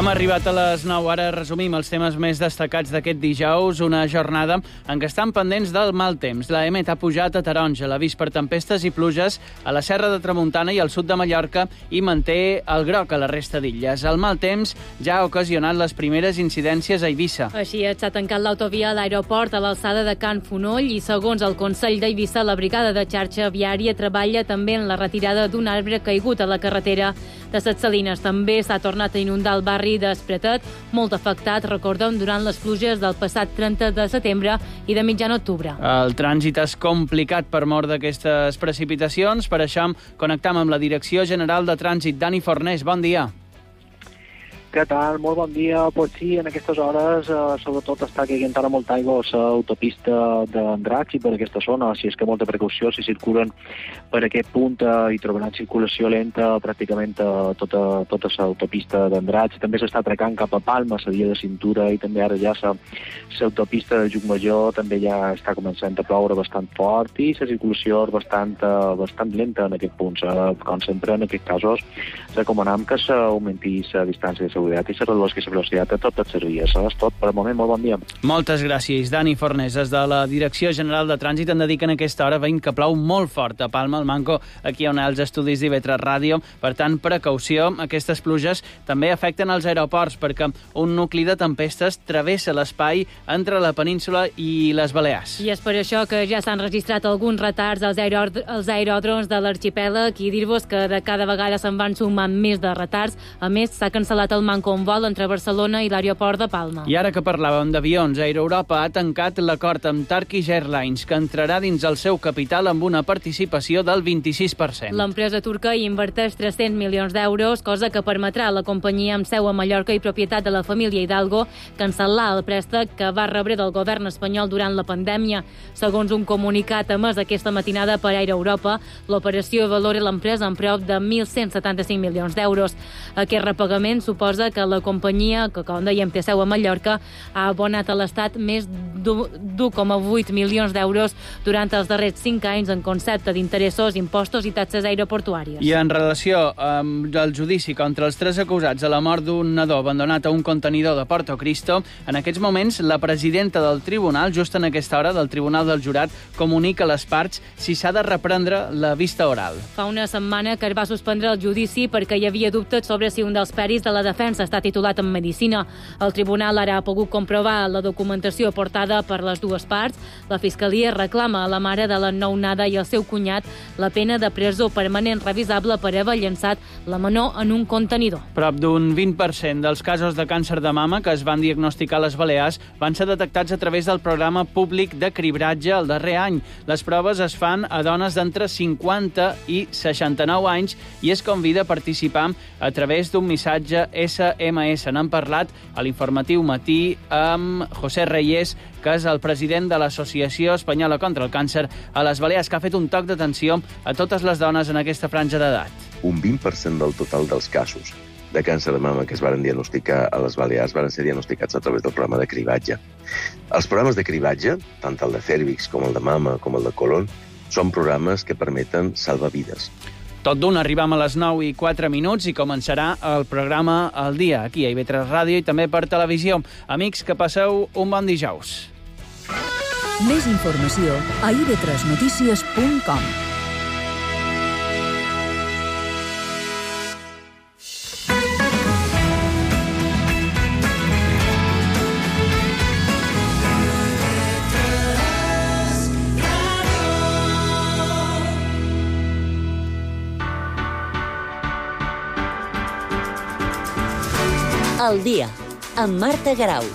Hem arribat a les 9, ara resumim els temes més destacats d'aquest dijous, una jornada en què estan pendents del mal temps. La EMET ha pujat a taronja, l'avís per tempestes i pluges a la Serra de Tramuntana i al sud de Mallorca i manté el groc a la resta d'illes. El mal temps ja ha ocasionat les primeres incidències a Eivissa. Així s'ha tancat l'autovia a l'aeroport a l'alçada de Can Fonoll i, segons el Consell d'Eivissa, la brigada de xarxa viària treballa també en la retirada d'un arbre caigut a la carretera de Ses Salines. També s'ha tornat a inundar el barri d'Espretet, molt afectat, recordem, durant les pluges del passat 30 de setembre i de mitjan octubre. El trànsit és complicat per mort d'aquestes precipitacions. Per això connectam amb la Direcció General de Trànsit. Dani Fornés, bon dia. Què tal? Molt bon dia. Pues sí, en aquestes hores sobretot està caient ara molta aigua a l'autopista d'Andratx i per aquesta zona, així és que molta precaució si circulen per aquest punt i trobaran circulació lenta pràcticament tota l'autopista d'Andratx. També s'està atracant cap a Palma, la via de cintura, i també ara ja l'autopista de Llucmajor també ja està començant a ploure bastant fort i la circulació és bastant lenta en aquest punt. Com sempre, en aquests casos, recomanem que s'augmenti la distància de seguretat i se redueixi la velocitat a totes les vies. És tot per al moment. Molt bon dia. Moltes gràcies, Dani Fornés. Des de la Direcció General de Trànsit en dediquen a aquesta hora, veient que plou molt fort a Palma, al Manco, aquí on hi ha els estudis d'IV3 Ràdio. Per tant, precaució. Aquestes pluges també afecten els aeroports, perquè un nucli de tempestes travessa l'espai entre la península i les Balears. I és per això que ja s'han registrat alguns retards als aeròdroms de l'arxipèlag, i dir-vos que de cada vegada se'n van sumant més de retards. A més, s'ha cancel·lat el manco un vol entre Barcelona i l'aeroport de Palma. I ara que parlàvem d'avions, Aeroeuropa ha tancat l'acord amb Turkish Airlines, que entrarà dins el seu capital amb una participació del 26%. L'empresa turca hi inverteix 300 milions d'euros, cosa que permetrà a la companyia amb seu a Mallorca i propietat de la família Hidalgo cancel·lar el préstec que va rebre del govern espanyol durant la pandèmia. Segons un comunicat emès aquesta matinada per Aeroeuropa, l'operació valora l'empresa en prop de 1.175 milions d'euros. Aquest repagament suposa que la companyia, que com dèiem té seu a Mallorca, ha abonat a l'Estat més d'1,8 milions d'euros durant els darrers 5 anys en concepte d'interessos, impostos i taxes aeroportuàries. I en relació amb el judici contra els 3 acusats de la mort d'un nadó abandonat a un contenidor de Porto Cristo, en aquests moments la presidenta del tribunal, just en aquesta hora del Tribunal del Jurat, comunica a les parts si s'ha de reprendre la vista oral. Fa una setmana que es va suspendre el judici perquè hi havia dubtes sobre si un dels peris de la defensa està titulat en Medicina. El tribunal ara ha pogut comprovar la documentació portada per les dues parts. La Fiscalia reclama a la mare de la nounada i al seu cunyat la pena de presó permanent revisable per haver llançat la menor en un contenidor. Prop d'un 20% dels casos de càncer de mama que es van diagnosticar a les Balears van ser detectats a través del programa públic de cribratge el darrer any. Les proves es fan a dones d'entre 50 i 69 anys i es convida a participar a través d'un missatge SMS. N'han parlat a l'informatiu Matí amb José Reyes, que és el president de l'Associació Espanyola contra el Càncer a les Balears, que ha fet un toc d'atenció a totes les dones en aquesta franja d'edat. Un 20% del total dels casos de càncer de mama que es van diagnosticar a les Balears van ser diagnosticats a través del programa de cribatge. Els programes de cribatge, tant el de Cèrvix com el de mama com el de colon, són programes que permeten salvar vides. Tot d'un, arribam a les 9:04 i començarà el programa El Dia, aquí a IV3 Ràdio i també per televisió. Amics, que passeu un bon dijous. Més informació a ib3notícies.com. El Dia, amb Marta Garau.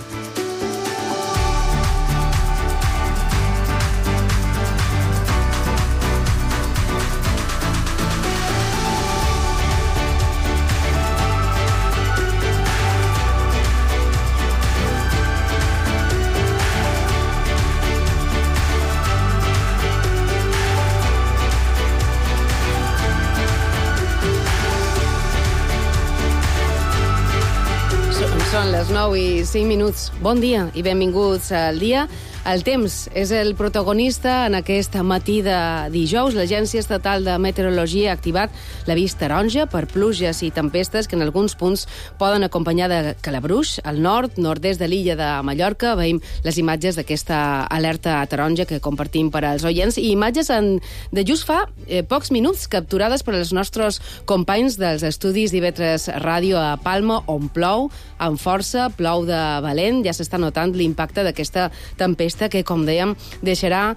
Són les 9:05. Bon dia i benvinguts al Dia. El temps és el protagonista en aquest matí de dijous. L'Agència Estatal de Meteorologia ha activat l'avís taronja per pluges i tempestes que en alguns punts poden acompanyar de calabruix. Al nord-est de l'illa de Mallorca veiem les imatges d'aquesta alerta taronja que compartim per als oients i imatges de just fa pocs minuts capturades per als nostres companys dels estudis d'IV3 Ràdio a Palma, on plou amb força, plou de valent. Ja s'està notant l'impacte d'aquesta tempesta que, com dèiem, deixarà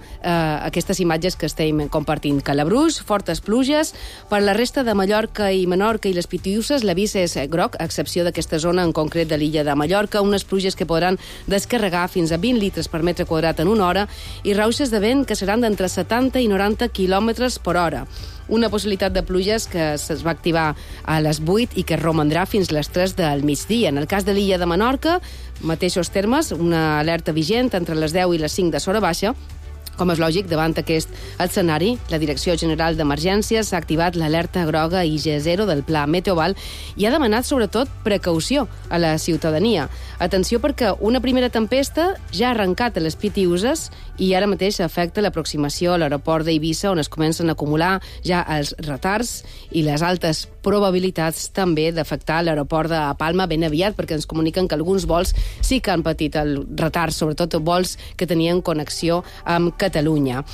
aquestes imatges que estem compartint. Calabruix, fortes pluges. Per la resta de Mallorca i Menorca i les Pitiüses, l'avís és groc, a excepció d'aquesta zona en concret de l'illa de Mallorca, unes pluges que podran descarregar fins a 20 litres per metre quadrat en una hora i rauxes de vent que seran d'entre 70 i 90 quilòmetres per hora. Una possibilitat de pluges que es va activar a les 8 i que romandrà fins les 3 del migdia. En el cas de l'illa de Menorca, mateixos termes, una alerta vigent entre les 10 i les 5 de l'hora baixa. Com és lògic, davant aquest escenari, la Direcció General d'Emergències ha activat l'alerta groga IG0 del Pla Meteoval i ha demanat, sobretot, precaució a la ciutadania. Atenció perquè una primera tempesta ja ha arrencat a les Pitiüses i ara mateix afecta l'aproximació a l'aeroport d'Eivissa, on es comencen a acumular ja els retards i les altes probabilitats també d'afectar l'aeroport de Palma ben aviat, perquè ens comuniquen que alguns vols sí que han patit el retard, sobretot vols que tenien connexió amb Catalunya.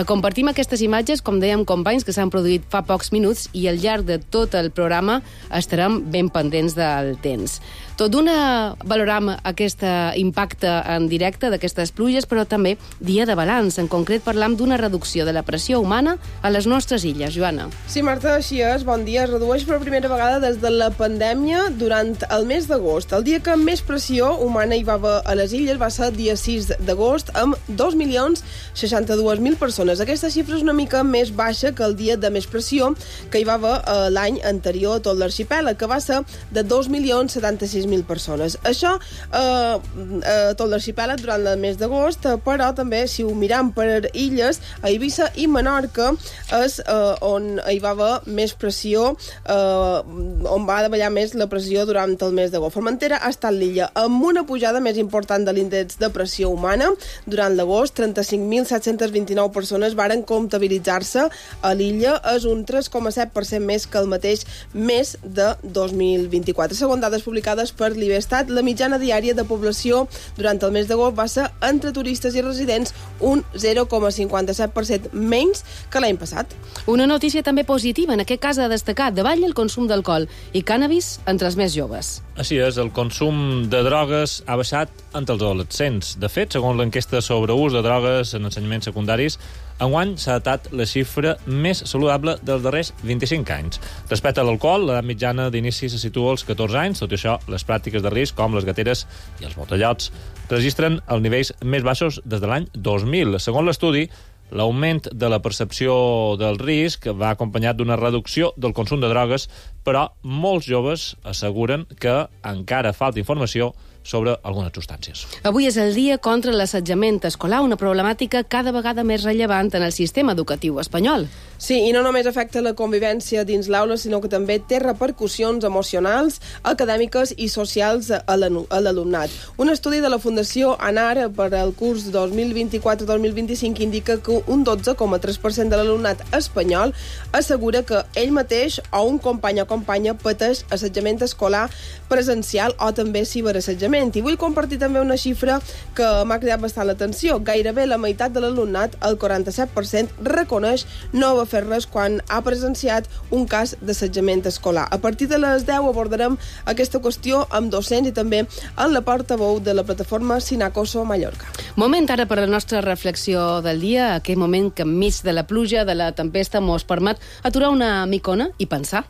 Compartim aquestes imatges, com dèiem, companys, que s'han produït fa pocs minuts i al llarg de tot el programa estarem ben pendents del temps. Tot d'una valorem aquest impacte en directe d'aquestes pluges, però també dia de balanç. En concret, parlam d'una reducció de la pressió humana a les nostres illes. Joana. Sí, Marta, així és. Bon dia. Es redueix per primera vegada des de la pandèmia durant el mes d'agost. El dia que més pressió humana hi va haver a les illes va ser el dia 6 d'agost, amb 2.062.000 persones. Aquesta xifra és una mica més baixa que el dia de més pressió que hi va haver l'any anterior a tot l'arxipèlag, que va ser de 2.076.000 persones. Això tot l'arxipèlag durant el mes d'agost, però també, si ho miram per illes, a Eivissa i Menorca és on hi va haver més pressió, on va davallar més la pressió durant el mes d'agost. Formentera ha estat l'illa amb una pujada més important de l'índex de pressió humana. Durant l'agost, 35.729 persones varen comptabilitzar-se a l'illa. És un 3,7% més que el mateix mes de 2024. Segons dades publicades per l'Ivestat, la mitjana diària de població durant el mes d'agost va ser entre turistes i residents un 0,57% menys que l'any passat. Una notícia també positiva, en aquest cas ha destacat davall el consum d'alcohol i cànnabis entre els més joves. Així és, el consum de drogues ha baixat entre els adolescents. De fet, segons l'enquesta sobre ús de drogues en ensenyaments secundaris, enguany s'ha datat la xifra més saludable dels darrers 25 anys. Respecte a l'alcohol, l'edat mitjana d'inici se situa als 14 anys. Tot i això, les pràctiques de risc, com les gateres i els botellots, registren els nivells més baixos des de l'any 2000. Segons l'estudi, l'augment de la percepció del risc va acompanyat d'una reducció del consum de drogues, però molts joves asseguren que encara falta informació sobre algunes substàncies. Avui és el dia contra l'assetjament escolar, una problemàtica cada vegada més rellevant en el sistema educatiu espanyol. Sí, i no només afecta la convivència dins l'aula, sinó que també té repercussions emocionals, acadèmiques i socials a l'alumnat. Un estudi de la Fundació ANAR per al curs 2024-2025 indica que un 12,3% de l'alumnat espanyol assegura que ell mateix o un company o companya pateix assetjament escolar presencial o també ciberassetjament. I vull compartir també una xifra que m'ha cridat bastant l'atenció. Gairebé la meitat de l'alumnat, el 47%, reconeix no haver fet res quan ha presenciat un cas d'assetjament escolar. A partir de les 10 abordarem aquesta qüestió amb docents i també en la portaveu de la plataforma Sinacoso Mallorca. Moment ara per la nostra reflexió del dia, aquell moment que enmig de la pluja, de la tempesta, mos permet aturar una micona i pensar.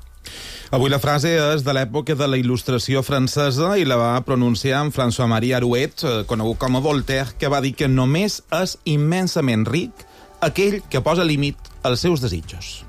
Avui la frase és de l'època de la Il·lustració francesa i la va pronunciar en François-Marie Arouet, conegut com a Voltaire, que va dir que només és immensament ric aquell que posa límit als seus desitjos.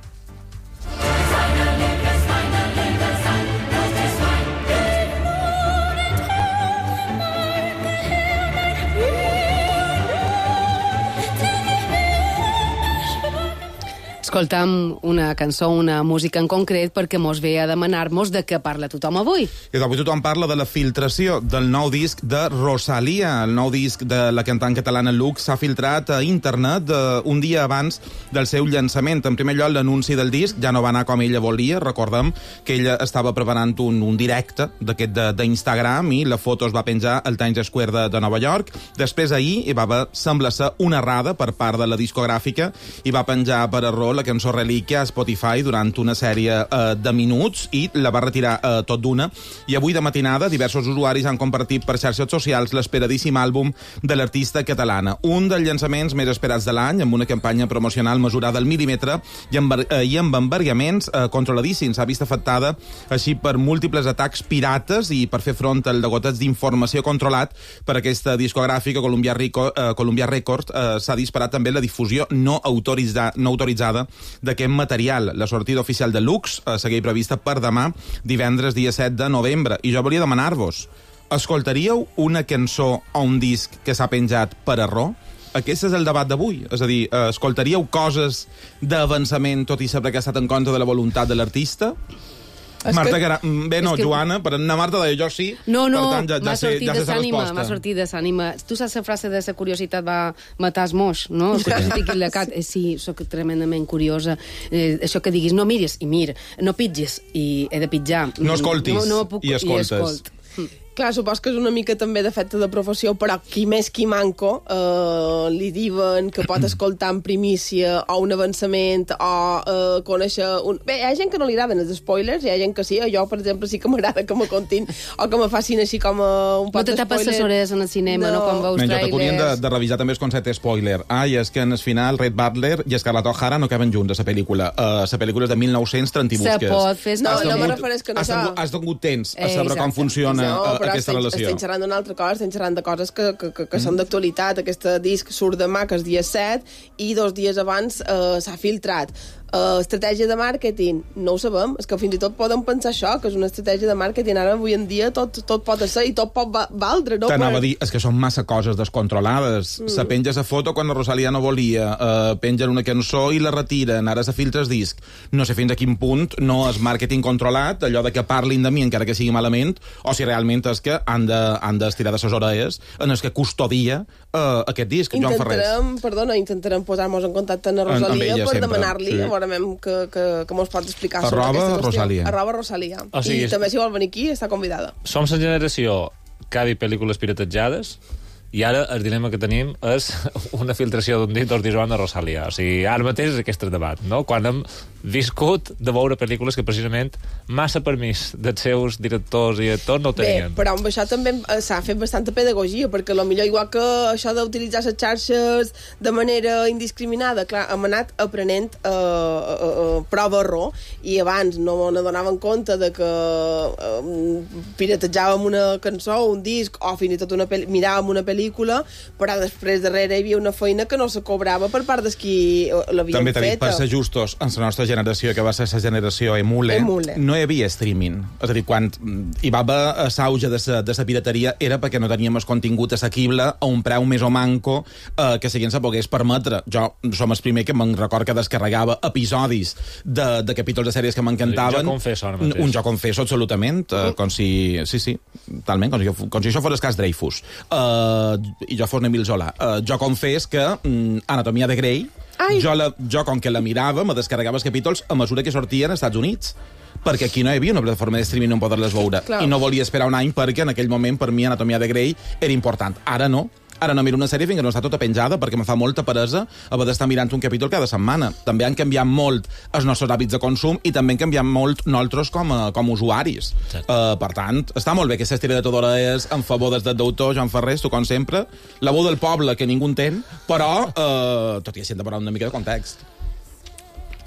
escoltam una cançó, una música en concret, perquè mos ve a demanar-nos de què parla tothom avui. I avui tothom parla de la filtració del nou disc de Rosalía. El nou disc de la cantant catalana Lux s'ha filtrat a internet un dia abans del seu llançament. En primer lloc, l'anunci del disc ja no va anar com ella volia. Recordem que ella estava preparant un directe d'aquest d'Instagram i la foto es va penjar al Times Square de Nova York. Després ahir hi va haver, sembla ser, una errada per part de la discogràfica i va penjar per error la cançó Relíquia a Spotify durant una sèrie de minuts i la va retirar tot d'una. I avui de matinada diversos usuaris han compartit per xarxes socials l'esperadíssim àlbum de l'artista catalana. Un dels llançaments més esperats de l'any, amb una campanya promocional mesurada al mil·límetre i amb embargaments controladíssims. S'ha vist afectada així per múltiples atacs pirates i per fer front al degoteig d'informació controlat per aquesta discogràfica Columbia Records s'ha disparat també la difusió no autoritzada d'aquest material. La sortida oficial de Lux segueix prevista per demà, divendres, dia 7 de novembre. I jo volia demanar-vos, escoltaríeu una cançó o un disc que s'ha penjat per error? Aquest és el debat d'avui. És a dir, escoltaríeu coses d'avançament tot i saber que ha estat en contra de la voluntat de l'artista? Joana, per anar Marta deia jo sí, no, per tant m'ha sortit de s'ànima. Tu saps la frase de la curiositat va matar els moix, no? Sí, soc tremendament curiosa. Això que diguis, no miris i mira, no pitgis i he de pitjar. No escoltis i escoltes. Clar, supos que és una mica també d'efecte de professió, però qui més qui manco li diuen que pot escoltar en primícia o un avançament o conèixer... Bé, hi ha gent que no li agraden els spoilers, hi ha gent que sí, jo, per exemple, sí que m'agrada que me contin o que me facin així com un pot No de te tapes les orelles en el cinema, no quan veus trailers. T'haurien de revisar també el concepte spoiler. I és que en el final Red Butler i Scarlett O'Hara no caben junts a la pel·lícula. La pel·lícula és de 1930 i busques. Se pot fer... No me refereix que no això... Has tingut temps a saber com funciona aquesta relació. Estem xerrant d'una altra cosa, estem xerrant de coses que són d'actualitat. Aquest disc surt demà, que és dia 7, i 2 dies abans s'ha filtrat. Estratègia de màrqueting, no ho sabem, és que fins i tot podem pensar això, que és una estratègia de màrqueting. Ara, avui en dia, tot pot ser i tot pot valdre, no? T'anava a dir, és que són massa coses descontrolades. Se penja la foto quan la Rosalía no volia, pengen una cançó i la retiren, ara se filtra el disc. No sé fins a quin punt no és màrqueting controlat, allò de que parlin de mi encara que sigui malament, o si realment és que han d'estirar de ses orelles en el que custodia aquest disc, Joan Ferrés. Intentarem posar-nos en contacte amb la Rosalía per demanar-li, que mos pot explicar sobre aquesta qüestió. Rosalía. I també si vol venir aquí està convidada. Som la generació que ha vist pel·lícules piratejades i ara el dilema que tenim és una filtració d'un dit d'Ortizoan de Rosalía. O sigui, ara mateix és aquest debat, no? Quan hem viscut de veure pel·lícules que precisament massa permís dels seus directors i actors no tenien. Bé, però amb això també s'ha fet bastanta pedagogia, perquè potser igual que això d'utilitzar les xarxes de manera indiscriminada, clar, hem anat aprenent prova-error, i abans no n'adonaven compte de que piratejàvem una cançó, un disc, o fins i tot miràvem una pel·lícula, però després darrere hi havia una feina que no se cobrava per part dels qui l'havien feta. També t'ha dit, per ser justos, en la nostra generació, que va ser la generació Emule, no hi havia streaming. És a dir, quan hi va haver l'auge de la pirateria era perquè no teníem el contingut assequible a un preu més o manco que si se pogués permetre. Jo som el primer que me'n record que descarregava episodis de capítols de sèries que m'encantaven. Un jo confesso, absolutament. Com si... Sí, talment, com si això fos el cas Dreyfus. I jo fos Emil Zola. Jo confés que Anatomia de Grey, jo com que la mirava, me descarregava els capítols a mesura que sortien als Estats Units, perquè aquí no hi havia una plataforma de streaming on poder-les veure. Clar. I no volia esperar un any perquè en aquell moment per mi Anatomia de Grey era important. Ara no. Ara no miro una sèrie fins que no està tota penjada perquè me fa molta peresa haver d'estar mirant un capítol cada setmana. També han canviat molt els nostres hàbits de consum i també han canviat molt nosaltres com a usuaris. Per tant, està molt bé que s'estira de tot hora en favor des del deutor Joan Ferrés, tu com sempre, la veu del poble que ningú entén, però tot i així hem de parlar una mica de context.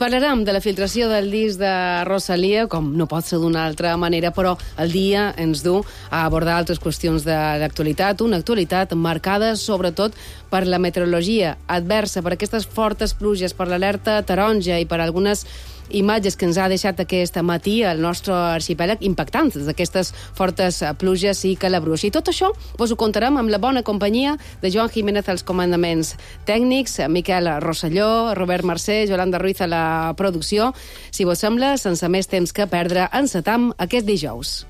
Parlarem de la filtració del disc de Rosalía, com no pot ser d'una altra manera, però el dia ens du a abordar altres qüestions d'actualitat, una actualitat marcada sobretot per la meteorologia adversa, per aquestes fortes pluges, per l'alerta taronja i per algunes imatges que ens ha deixat aquest matí el nostre arxipèlag impactants d'aquestes fortes pluges i calabruix. I tot això ho contarem amb la bona companyia de Joan Jiménez als comandaments tècnics, Miquel Rosselló, Robert Mercè, Yolanda Ruiz a la producció. Si vos sembla, sense més temps que perdre, encetam aquest dijous.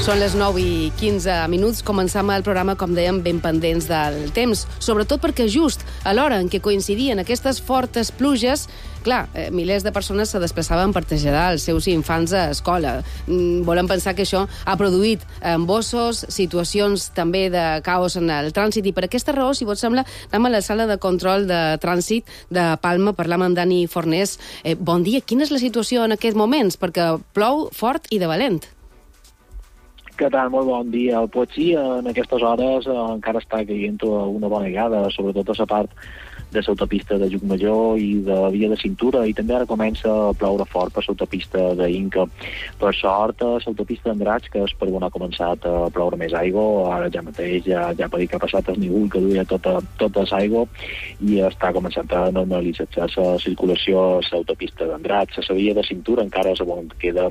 Són les 9:15. Començam el programa, com dèiem, ben pendents del temps, sobretot perquè just a l'hora en què coincidien aquestes fortes pluges, clar, milers de persones se desplaçaven per traslladar els seus infants a escola. Volem pensar que això ha produït embossos, situacions també de caos en el trànsit, i per aquesta raó, si vos sembla, anem a la sala de control de trànsit de Palma, parlam amb Dani Fornés. Bon dia, quina és la situació en aquests moments? Perquè plou fort i de valent. Què tal? Molt bon dia. Pues sí, en aquestes hores encara està caient una bona vegada, sobretot a la part de l'autopista de Llucmajor i de la via de cintura, i també ara comença a ploure fort per l'autopista d'Inca. Per sort, l'autopista d'Andratx, que és per on ha començat a ploure més aigua, ara ja mateix ja per dir que ha passat el nivell que duia tota l'aigua, i està començant a normalitzar la circulació a l'autopista d'Andratx. A la via de cintura encara és on queda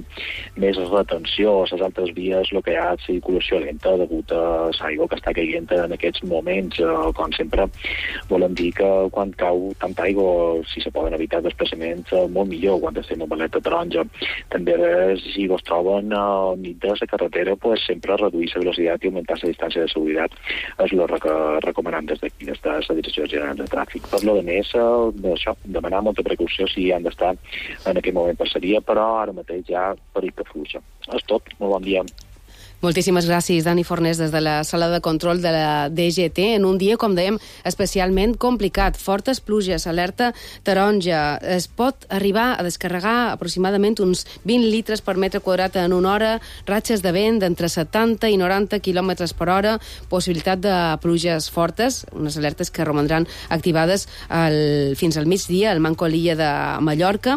més retenció. A les altres vies el que hi ha és circulació lenta degut a l'aigua que està caient en aquests moments. Com sempre, volem dir que quan cau tanta aigua, si se poden evitar desplaçaments, molt millor quan estem en alerta taronja. També, si vos troben al mig de la carretera, pues, sempre reduir la velocitat i augmentar la distància de seguretat és el que recomanem des d'aquí, des de la Direcció General de Tràfic. Per lo de més, això, demanar molta precaució si han d'estar en aquest moment passaria, però ara mateix ja perill que fluixa. És tot. Molt bon dia. Moltíssimes gràcies, Dani Fornés, des de la sala de control de la DGT. En un dia, com dèiem, especialment complicat. Fortes pluges, alerta taronja. Es pot arribar a descarregar aproximadament uns 20 litres per metre quadrat en una hora, ratxes de vent d'entre 70 i 90 km per hora, possibilitat de pluges fortes, unes alertes que romandran activades fins al migdia, al manco a l'illa de Mallorca.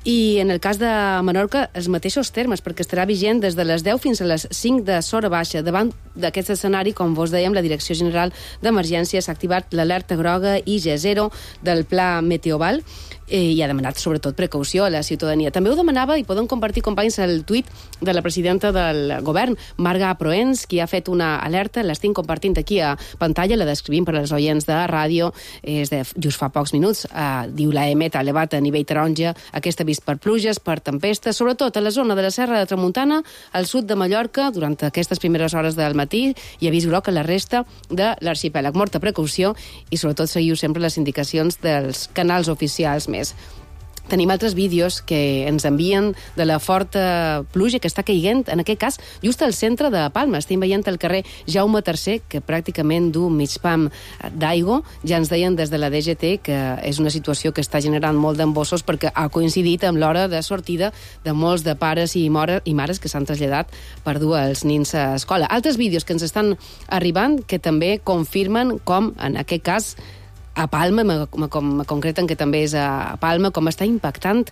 I en el cas de Menorca, els mateixos termes, perquè estarà vigent des de les 10 fins a les 5 de l'hora baixa. Davant d'aquest escenari, com vos dèiem, la Direcció General d'Emergències ha activat l'alerta groga IG0 del Pla Meteoval i ha demanat, sobretot, precaució a la ciutadania. També ho demanava, i poden compartir, companys, el tuit de la presidenta del govern, Marga Proens, qui ha fet una alerta, l'estic compartint aquí a pantalla, la descrivim per als oients de ràdio, és de just fa pocs minuts. Diu la EMET ha elevat a nivell taronja aquest avís per pluges, per tempestes, sobretot a la zona de la Serra de Tramuntana, al sud de Mallorca, durant aquestes primeres hores del matí, i avís groc a la resta de l'arxipèlag. Molta precaució i, sobretot, seguiu sempre les indicacions dels canals oficials més. Tenim altres vídeos que ens envien de la forta pluja que està caient, en aquest cas, just al centre de Palma. Estem veient el carrer Jaume III, que pràcticament du mig pam d'aigua. Ja ens deien des de la DGT que és una situació que està generant molt d'embossos perquè ha coincidit amb l'hora de sortida de molts de pares i mares que s'han traslladat per dur els nins a escola. Altres vídeos que ens estan arribant que també confirmen com, en aquest cas, a Palma, com concreten que també és a Palma, com està impactant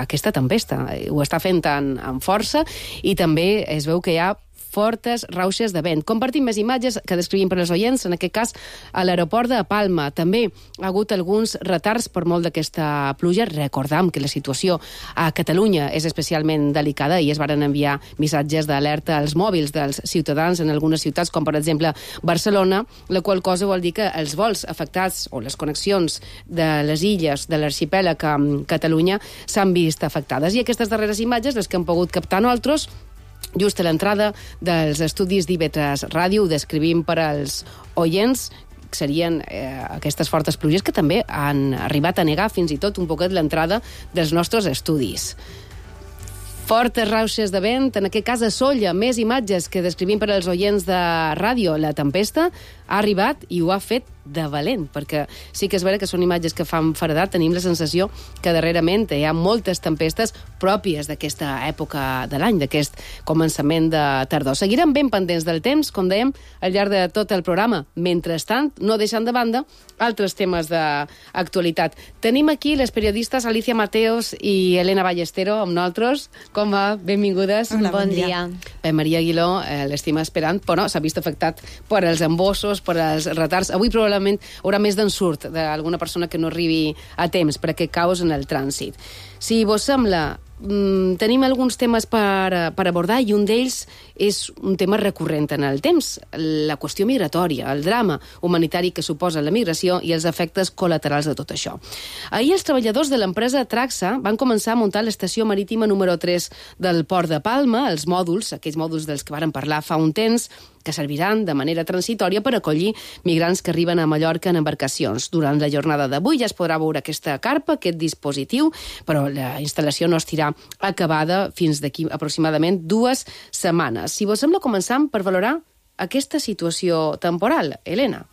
aquesta tempesta. Ho està fent amb força i també es veu que hi ha fortes rauxes de vent. Compartim més imatges que descrivim per als oients, en aquest cas a l'aeroport de Palma. També ha hagut alguns retards per molt d'aquesta pluja. Recordam que la situació a Catalunya és especialment delicada i es varen enviar missatges d'alerta als mòbils dels ciutadans en algunes ciutats, com per exemple Barcelona, la qual cosa vol dir que els vols afectats o les connexions de les illes de l'arxipèlag amb Catalunya s'han vist afectades. I aquestes darreres imatges, les que hem pogut captar nosaltres, just a l'entrada dels estudis d'IV3 Ràdio, ho descrivim per als oients, serien aquestes fortes pluges que també han arribat a negar fins i tot un poquet l'entrada dels nostres estudis. Fortes rauxes de vent, en aquest cas a Sóller, més imatges que descrivim per als oients de ràdio. La tempesta ha arribat i ho ha fet de valent, perquè sí que és vera que són imatges que fan feredat. Tenim la sensació que darrerament hi ha moltes tempestes pròpies d'aquesta època de l'any, d'aquest començament de tardor. Seguirem ben pendents del temps, com dèiem, al llarg de tot el programa. Mentrestant, no deixant de banda altres temes d'actualitat. Tenim aquí les periodistes Alicia Mateos i Elena Ballestero amb nosaltres. Com va? Benvingudes. Hola, bon dia. Maria Aguiló, l'estima esperant, però s'ha vist afectat per els embossos, per els retards. Avui probablement haurà més d'ensurt d'alguna persona que no arribi a temps per aquest caos en el trànsit. Si vos sembla, tenim alguns temes per abordar i un d'ells és un tema recurrent en el temps, la qüestió migratòria, el drama humanitari que suposa la migració i els efectes col·laterals de tot això. Ahir els treballadors de l'empresa Traxa van començar a muntar l'estació marítima número 3 del Port de Palma, els mòduls, aquells mòduls dels que varen parlar fa un temps, que serviran de manera transitòria per acollir migrants que arriben a Mallorca en embarcacions. Durant la jornada d'avui ja es podrà veure aquesta carpa, aquest dispositiu, però la instal·lació no estirà acabada fins d'aquí aproximadament 2 setmanes. Si vos sembla, començam per valorar aquesta situació temporal. Elena.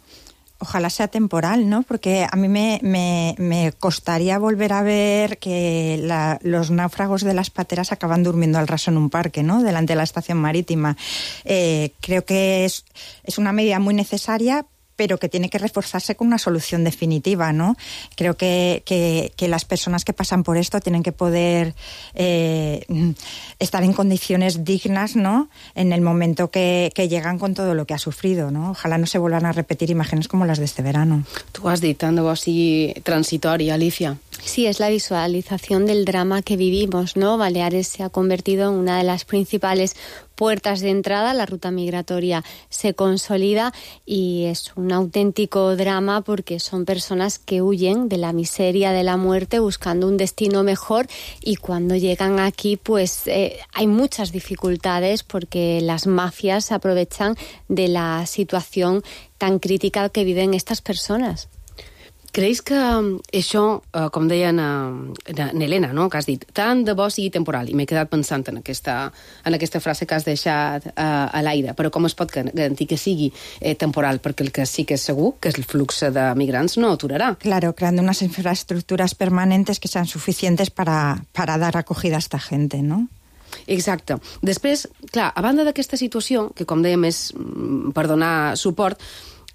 Ojalá sea temporal, ¿no? Porque a mí me costaría volver a ver que los náufragos de las pateras acaban durmiendo al raso en un parque, ¿no? Delante de la estación marítima. Creo que es una medida muy necesaria, pero que tiene que reforzarse con una solución definitiva, ¿no? Creo que las personas que pasan por esto tienen que poder estar en condiciones dignas, ¿no? En el momento que llegan con todo lo que ha sufrido, ¿no? Ojalá no se vuelvan a repetir imágenes como las de este verano. Tú has dit, tant de bo sigui transitori, Alicia. Sí, es la visualización del drama que vivimos, ¿no? Baleares se ha convertido en una de las principales puertas de entrada, la ruta migratoria se consolida y es un auténtico drama porque son personas que huyen de la miseria, de la muerte, buscando un destino mejor, y cuando llegan aquí pues hay muchas dificultades porque las mafias se aprovechan de la situación tan crítica que viven estas personas. Creus que això, com deia n'Helena, no? Que has dit, tant de bo sigui temporal, i m'he quedat pensant en aquesta frase que has deixat a l'aire, però com es pot garantir que sigui temporal? Perquè el que sí que és segur, que és el flux de migrants, no aturarà. Claro, creando unas infraestructuras permanentes que sean suficientes para dar acogida a esta gente, ¿no? Exacte. Després, clar, a banda d'aquesta situació, que com dèiem és per donar suport,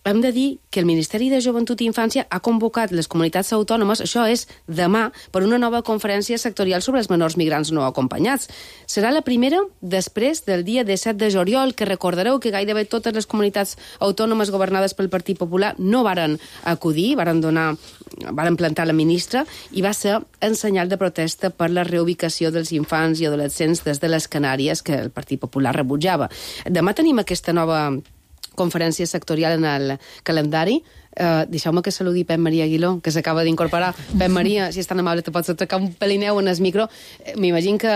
hem de dir que el Ministeri de Joventut i Infància ha convocat les comunitats autònomes, això és demà, per una nova conferència sectorial sobre els menors migrants no acompanyats. Serà la primera després del dia 17 de juliol, que recordareu que gairebé totes les comunitats autònomes governades pel Partit Popular no varen acudir, varen plantar la ministra, i va ser en senyal de protesta per la reubicació dels infants i adolescents des de les Canàries, que el Partit Popular rebutjava. Demà tenim aquesta nova conferència sectorial en el calendari. Deixeu-me que saludi Pep Maria Aguiló, que s'acaba d'incorporar. Pep Maria, si és tan amable, te pots atracar un pelineu en el micro. M'imagino que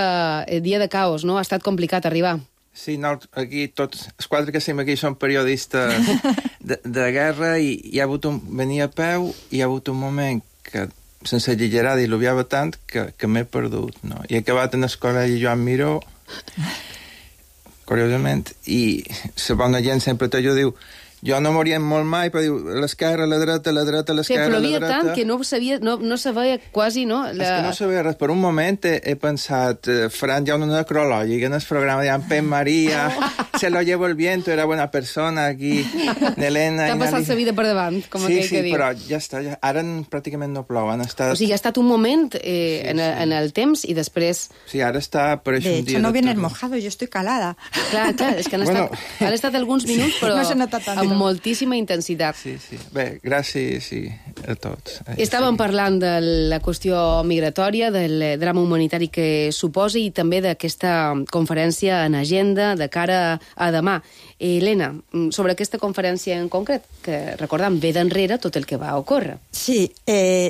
el dia de caos, no? Ha estat complicat arribar. Sí, no, aquí tots els 4 que estem aquí són periodistes de guerra, i hi ha hagut venia a peu, i hi ha hagut un moment que, sense exagerar, diluviava tant que m'he perdut, no? I he acabat en el col·legi Joan Miró, curiosament, i la bona gent sempre t'ho diu, jo no morien molt mai, però diu, l'esquerra, la dreta, l'esquerra, la dreta... Plovia tant que no se veia quasi, no? És que no se veia res. Per un moment he pensat, faran ja una necrològica en el programa, diran, Pep Maria, se lo llevo el viento, era buena persona, aquí, Elena... T'ha passat la vida per davant, com aquell que diu. Sí, però ja està, ara pràcticament no plou. O sigui, ha estat un moment en el temps i després... Sí, ara està... De hecho, no vienes mojado, yo estoy calada. Clar, és que han estat alguns minuts, però... No se nota tant. Amb moltíssima intensitat. Sí. Bé, gràcies a tots. Estàvem parlant de la qüestió migratòria, del drama humanitari que suposa, i també d'aquesta conferència en agenda de cara a demà. Elena, sobre aquesta conferència en concret, que recordam, ve d'enrere tot el que va ocórrer. Sí,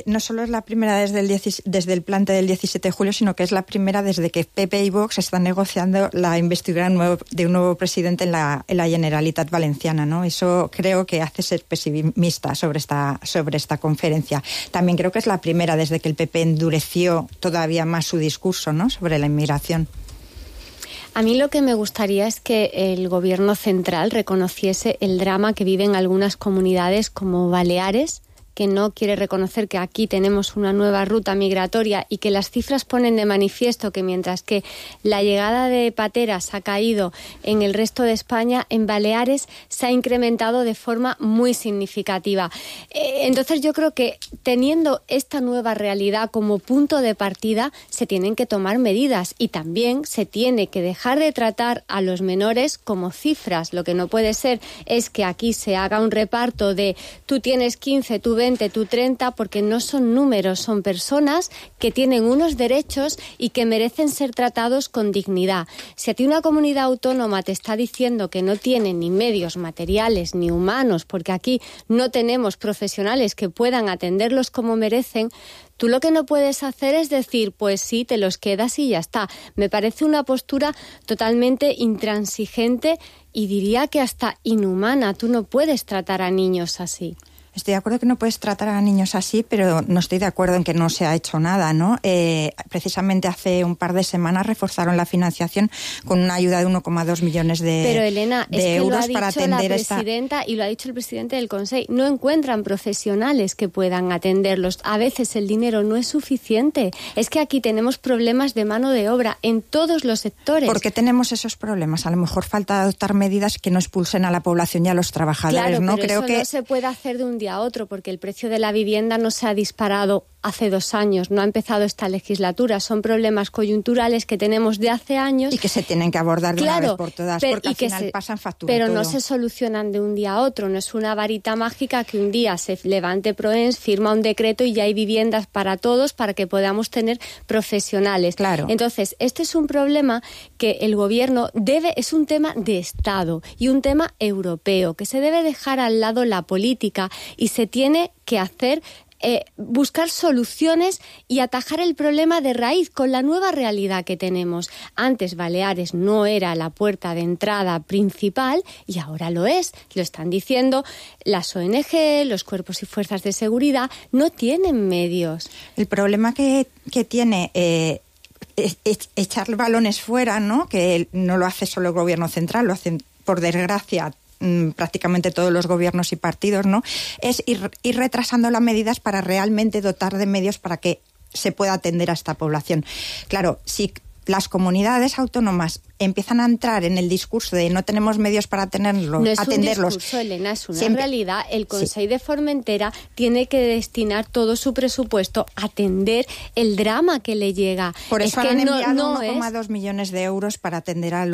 no solo es la primera desde el plante del 17 de julio, sino que es la primera desde que PP y Vox están negociando la investidura de un nuevo presidente en la Generalitat Valenciana, ¿no? Eso creo que hace ser pesimista sobre esta conferencia. También creo que es la primera desde que el PP endureció todavía más su discurso, ¿no?, sobre la inmigración. A mí lo que me gustaría es que el gobierno central reconociese el drama que viven algunas comunidades como Baleares, que no quiere reconocer que aquí tenemos una nueva ruta migratoria y que las cifras ponen de manifiesto que mientras que la llegada de pateras ha caído en el resto de España, en Baleares se ha incrementado de forma muy significativa. Entonces yo creo que teniendo esta nueva realidad como punto de partida, se tienen que tomar medidas y también se tiene que dejar de tratar a los menores como cifras. Lo que no puede ser es que aquí se haga un reparto de tú tienes 15, tú 20, tú 30, porque no son números, son personas que tienen unos derechos y que merecen ser tratados con dignidad. Si a ti una comunidad autónoma te está diciendo que no tiene ni medios materiales ni humanos, porque aquí no tenemos profesionales que puedan atenderlos como merecen, tú lo que no puedes hacer es decir, pues sí, te los quedas y ya está. Me parece una postura totalmente intransigente y diría que hasta inhumana. Tú no puedes tratar a niños así. Estoy de acuerdo que no puedes tratar a niños así, pero no estoy de acuerdo en que no se ha hecho nada, ¿no? Precisamente hace un par de semanas reforzaron la financiación con una ayuda de 1,2 millones de euros. Pero Elena, es que lo ha para dicho atender la presidenta y lo ha dicho el presidente del Consejo. No encuentran profesionales que puedan atenderlos. A veces el dinero no es suficiente. Es que aquí tenemos problemas de mano de obra en todos los sectores. ¿Por qué tenemos esos problemas? A lo mejor falta adoptar medidas que no expulsen a la población y a los trabajadores, claro, ¿no? Pero creo eso que no se puede hacer de un día a otro, porque el precio de la vivienda no se ha disparado hace 2 años, no ha empezado esta legislatura, son problemas coyunturales que tenemos de hace años. Y que se tienen que abordar de una vez por todas, porque al final pasan factura pero todo. No se solucionan de un día a otro, no es una varita mágica que un día se levante Proens, firma un decreto y ya hay viviendas para todos para que podamos tener profesionales. Claro. Entonces, este es un problema que el gobierno es un tema de Estado y un tema europeo, que se debe dejar al lado la política y se tiene que hacer buscar soluciones y atajar el problema de raíz con la nueva realidad que tenemos. Antes Baleares no era la puerta de entrada principal y ahora lo es. Lo están diciendo las ONG, los cuerpos y fuerzas de seguridad, no tienen medios. El problema que tiene es echar balones fuera, ¿no? Que no lo hace solo el gobierno central, lo hacen, por desgracia, prácticamente todos los gobiernos y partidos, ¿no? Es ir retrasando las medidas para realmente dotar de medios para que se pueda atender a esta población. Claro, si las comunidades autónomas empiezan a entrar en el discurso de no tenemos medios para atenderlos. No es un discurso, Elena, es una realidad. El Consejo de Formentera tiene que destinar todo su presupuesto a atender el drama que le llega. Por eso han enviado 1,2 millones de euros para atender a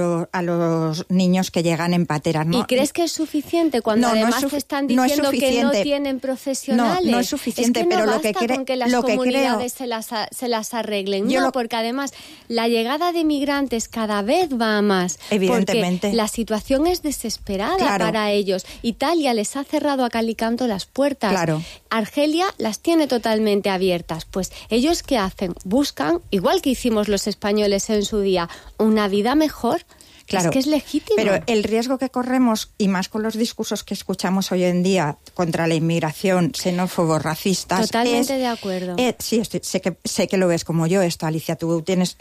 los niños que llegan en pateras, ¿no? ¿Y crees que es suficiente cuando además te están diciendo que no tienen profesionales? No es suficiente, es que pero no lo que basta con que las comunidades se las arreglen. Porque además la llegada de migrantes cada vez va a más. Evidentemente. Porque la situación es desesperada para ellos. Italia les ha cerrado a cal y canto las puertas. Claro. Argelia las tiene totalmente abiertas. Pues ellos, ¿qué hacen? Buscan, igual que hicimos los españoles en su día, una vida mejor. Claro, es que es legítimo. Pero el riesgo que corremos, y más con los discursos que escuchamos hoy en día contra la inmigración, xenófobos, racistas... Totalmente de acuerdo. Sí, sé que lo ves como yo esto, Alicia. Tú tienes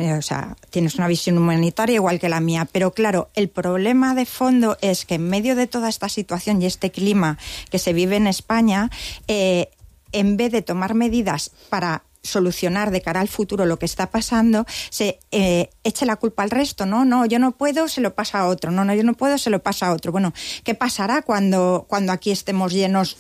una visión humanitaria igual que la mía. Pero claro, el problema de fondo es que en medio de toda esta situación y este clima que se vive en España, en vez de tomar medidas para solucionar de cara al futuro lo que está pasando, se eche la culpa al resto. No, yo no puedo, se lo pasa a otro. No, yo no puedo, se lo pasa a otro. Bueno, ¿qué pasará cuando aquí estemos llenos,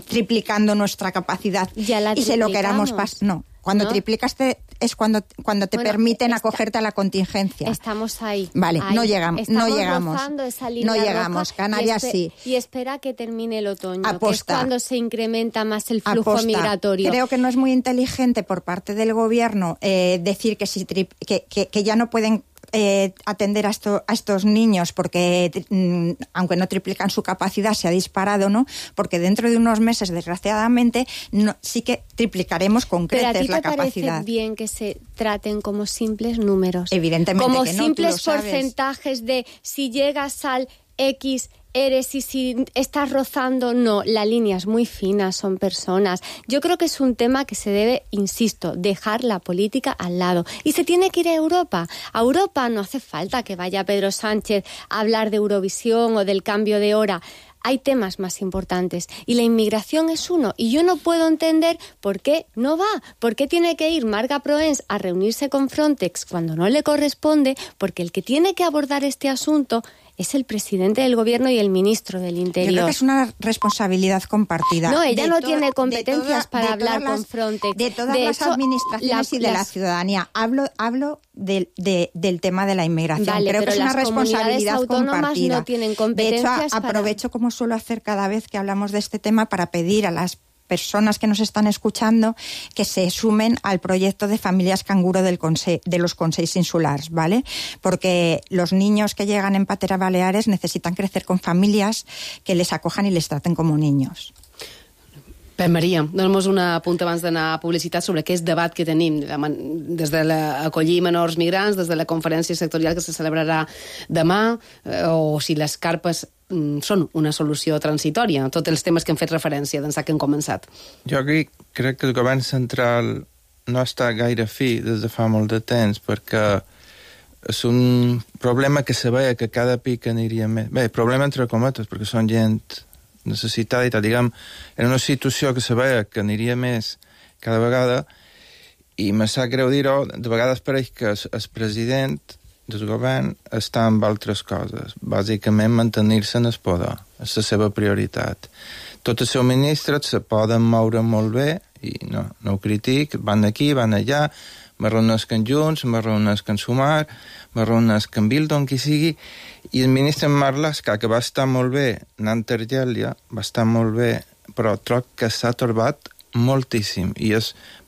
triplicando nuestra capacidad y se lo queramos pasar? No. Cuando triplicas es cuando te permiten acogerte a la contingencia. Estamos ahí. Vale, ahí. no llegamos. Rozando esa línea no llegamos. Canarias sí. Y espera que termine el otoño, Aposta. que es cuando se incrementa más el flujo migratorio. Creo que no es muy inteligente por parte del gobierno decir que ya no pueden atender a estos niños porque aunque no triplican su capacidad se ha disparado, ¿no? Porque dentro de unos meses, desgraciadamente, sí que triplicaremos con creces la capacidad. ¿Pero a ti te parece bien que se traten como simples números? Evidentemente como que no, simples tú lo sabes. Porcentajes de si llegas al X eres y si estás rozando, no, la línea es muy fina, son personas. Yo creo que es un tema que se debe, insisto, dejar la política al lado. Y se tiene que ir a Europa. A Europa no hace falta que vaya Pedro Sánchez a hablar de Eurovisión o del cambio de hora. Hay temas más importantes y la inmigración es uno. Y yo no puedo entender por qué no va, por qué tiene que ir Marga Proens a reunirse con Frontex cuando no le corresponde, porque el que tiene que abordar este asunto es el presidente del gobierno y el ministro del Interior. Yo creo que es una responsabilidad compartida. No, ella no tiene competencias para hablar con Frontex. De todas las administraciones y de la ciudadanía. Hablo del tema de la inmigración. Vale, creo que es una responsabilidad compartida. No tienen competencias. De hecho, aprovecho, como suelo hacer cada vez que hablamos de este tema, para pedir a las personas que nos están escuchando que se sumen al proyecto de familias canguro de los Consells Insulars, ¿vale? Porque los niños que llegan en Patera Baleares necesitan crecer con familias que les acojan i les traten com niños. Maria, dona'm un apunt abans d'anar a publicitat sobre aquest debat que tenim des de l'acollir menors migrants, des de la conferència sectorial que se celebrarà demà, o si les carpes són una solució transitòria, tots els temes que hem fet referència d'ençà que hem començat. Jo crec que el govern central no està gaire fi des de fa molt de temps, perquè és un problema que se veia que cada pic aniria més. Bé, problema entre cometes, perquè són gent necessitada i tal, diguem, en una situació que se veia que aniria més cada vegada, i me sap greu dir-ho, de vegades pareix que el president del govern està amb altres coses, bàsicament mantenir-se en el poder, és la seva prioritat. Tots els seus ministres se poden moure molt bé, i no ho critic, van aquí, van allà, me reuneixen Junts, me reuneixen Sumar, me reuneixen Bildon, qui sigui, i el ministre Marlaska, que va estar molt bé anant a Argèlia, va estar molt bé, però troc que s'ha torbat moltíssim, i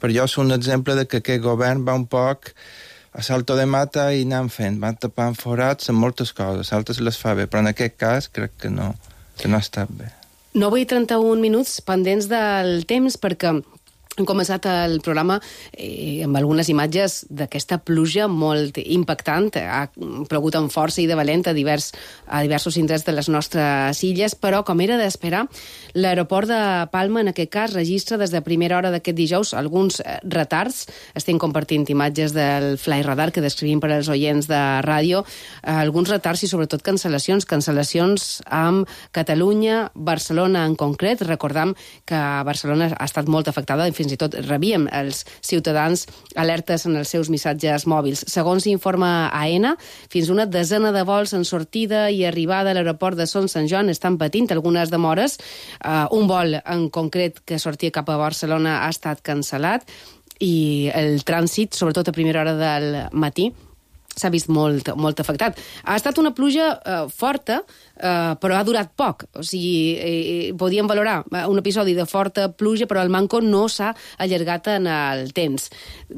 per jo és un exemple de que aquest govern va un poc a salto de mata i anant fent, van tapant forats en moltes coses, altres les fa bé, però en aquest cas crec que no ha estat bé. 9:31 minuts pendents del temps, perquè hem començat el programa amb algunes imatges d'aquesta pluja molt impactant. Ha plogut amb força i de valent a diversos indrets de les nostres illes, però, com era d'esperar, l'aeroport de Palma, en aquest cas, registra des de primera hora d'aquest dijous alguns retards. Estem compartint imatges del Fly Radar que descrivim per als oients de ràdio. Alguns retards i, sobretot, cancel·lacions amb Catalunya, Barcelona en concret. Recordam que Barcelona ha estat molt afectada, fins i tot rebíem els ciutadans alertes en els seus missatges mòbils. Segons informa AENA, fins una desena de vols en sortida i arribada a l'aeroport de Son Sant Joan estan patint algunes demores. Un vol en concret que sortia cap a Barcelona ha estat cancel·lat i el trànsit, sobretot a primera hora del matí, s'ha vist molt afectat. Ha estat una pluja forta, però ha durat poc. O sigui, podíem valorar un episodi de forta pluja, però el manco no s'ha allargat en el temps.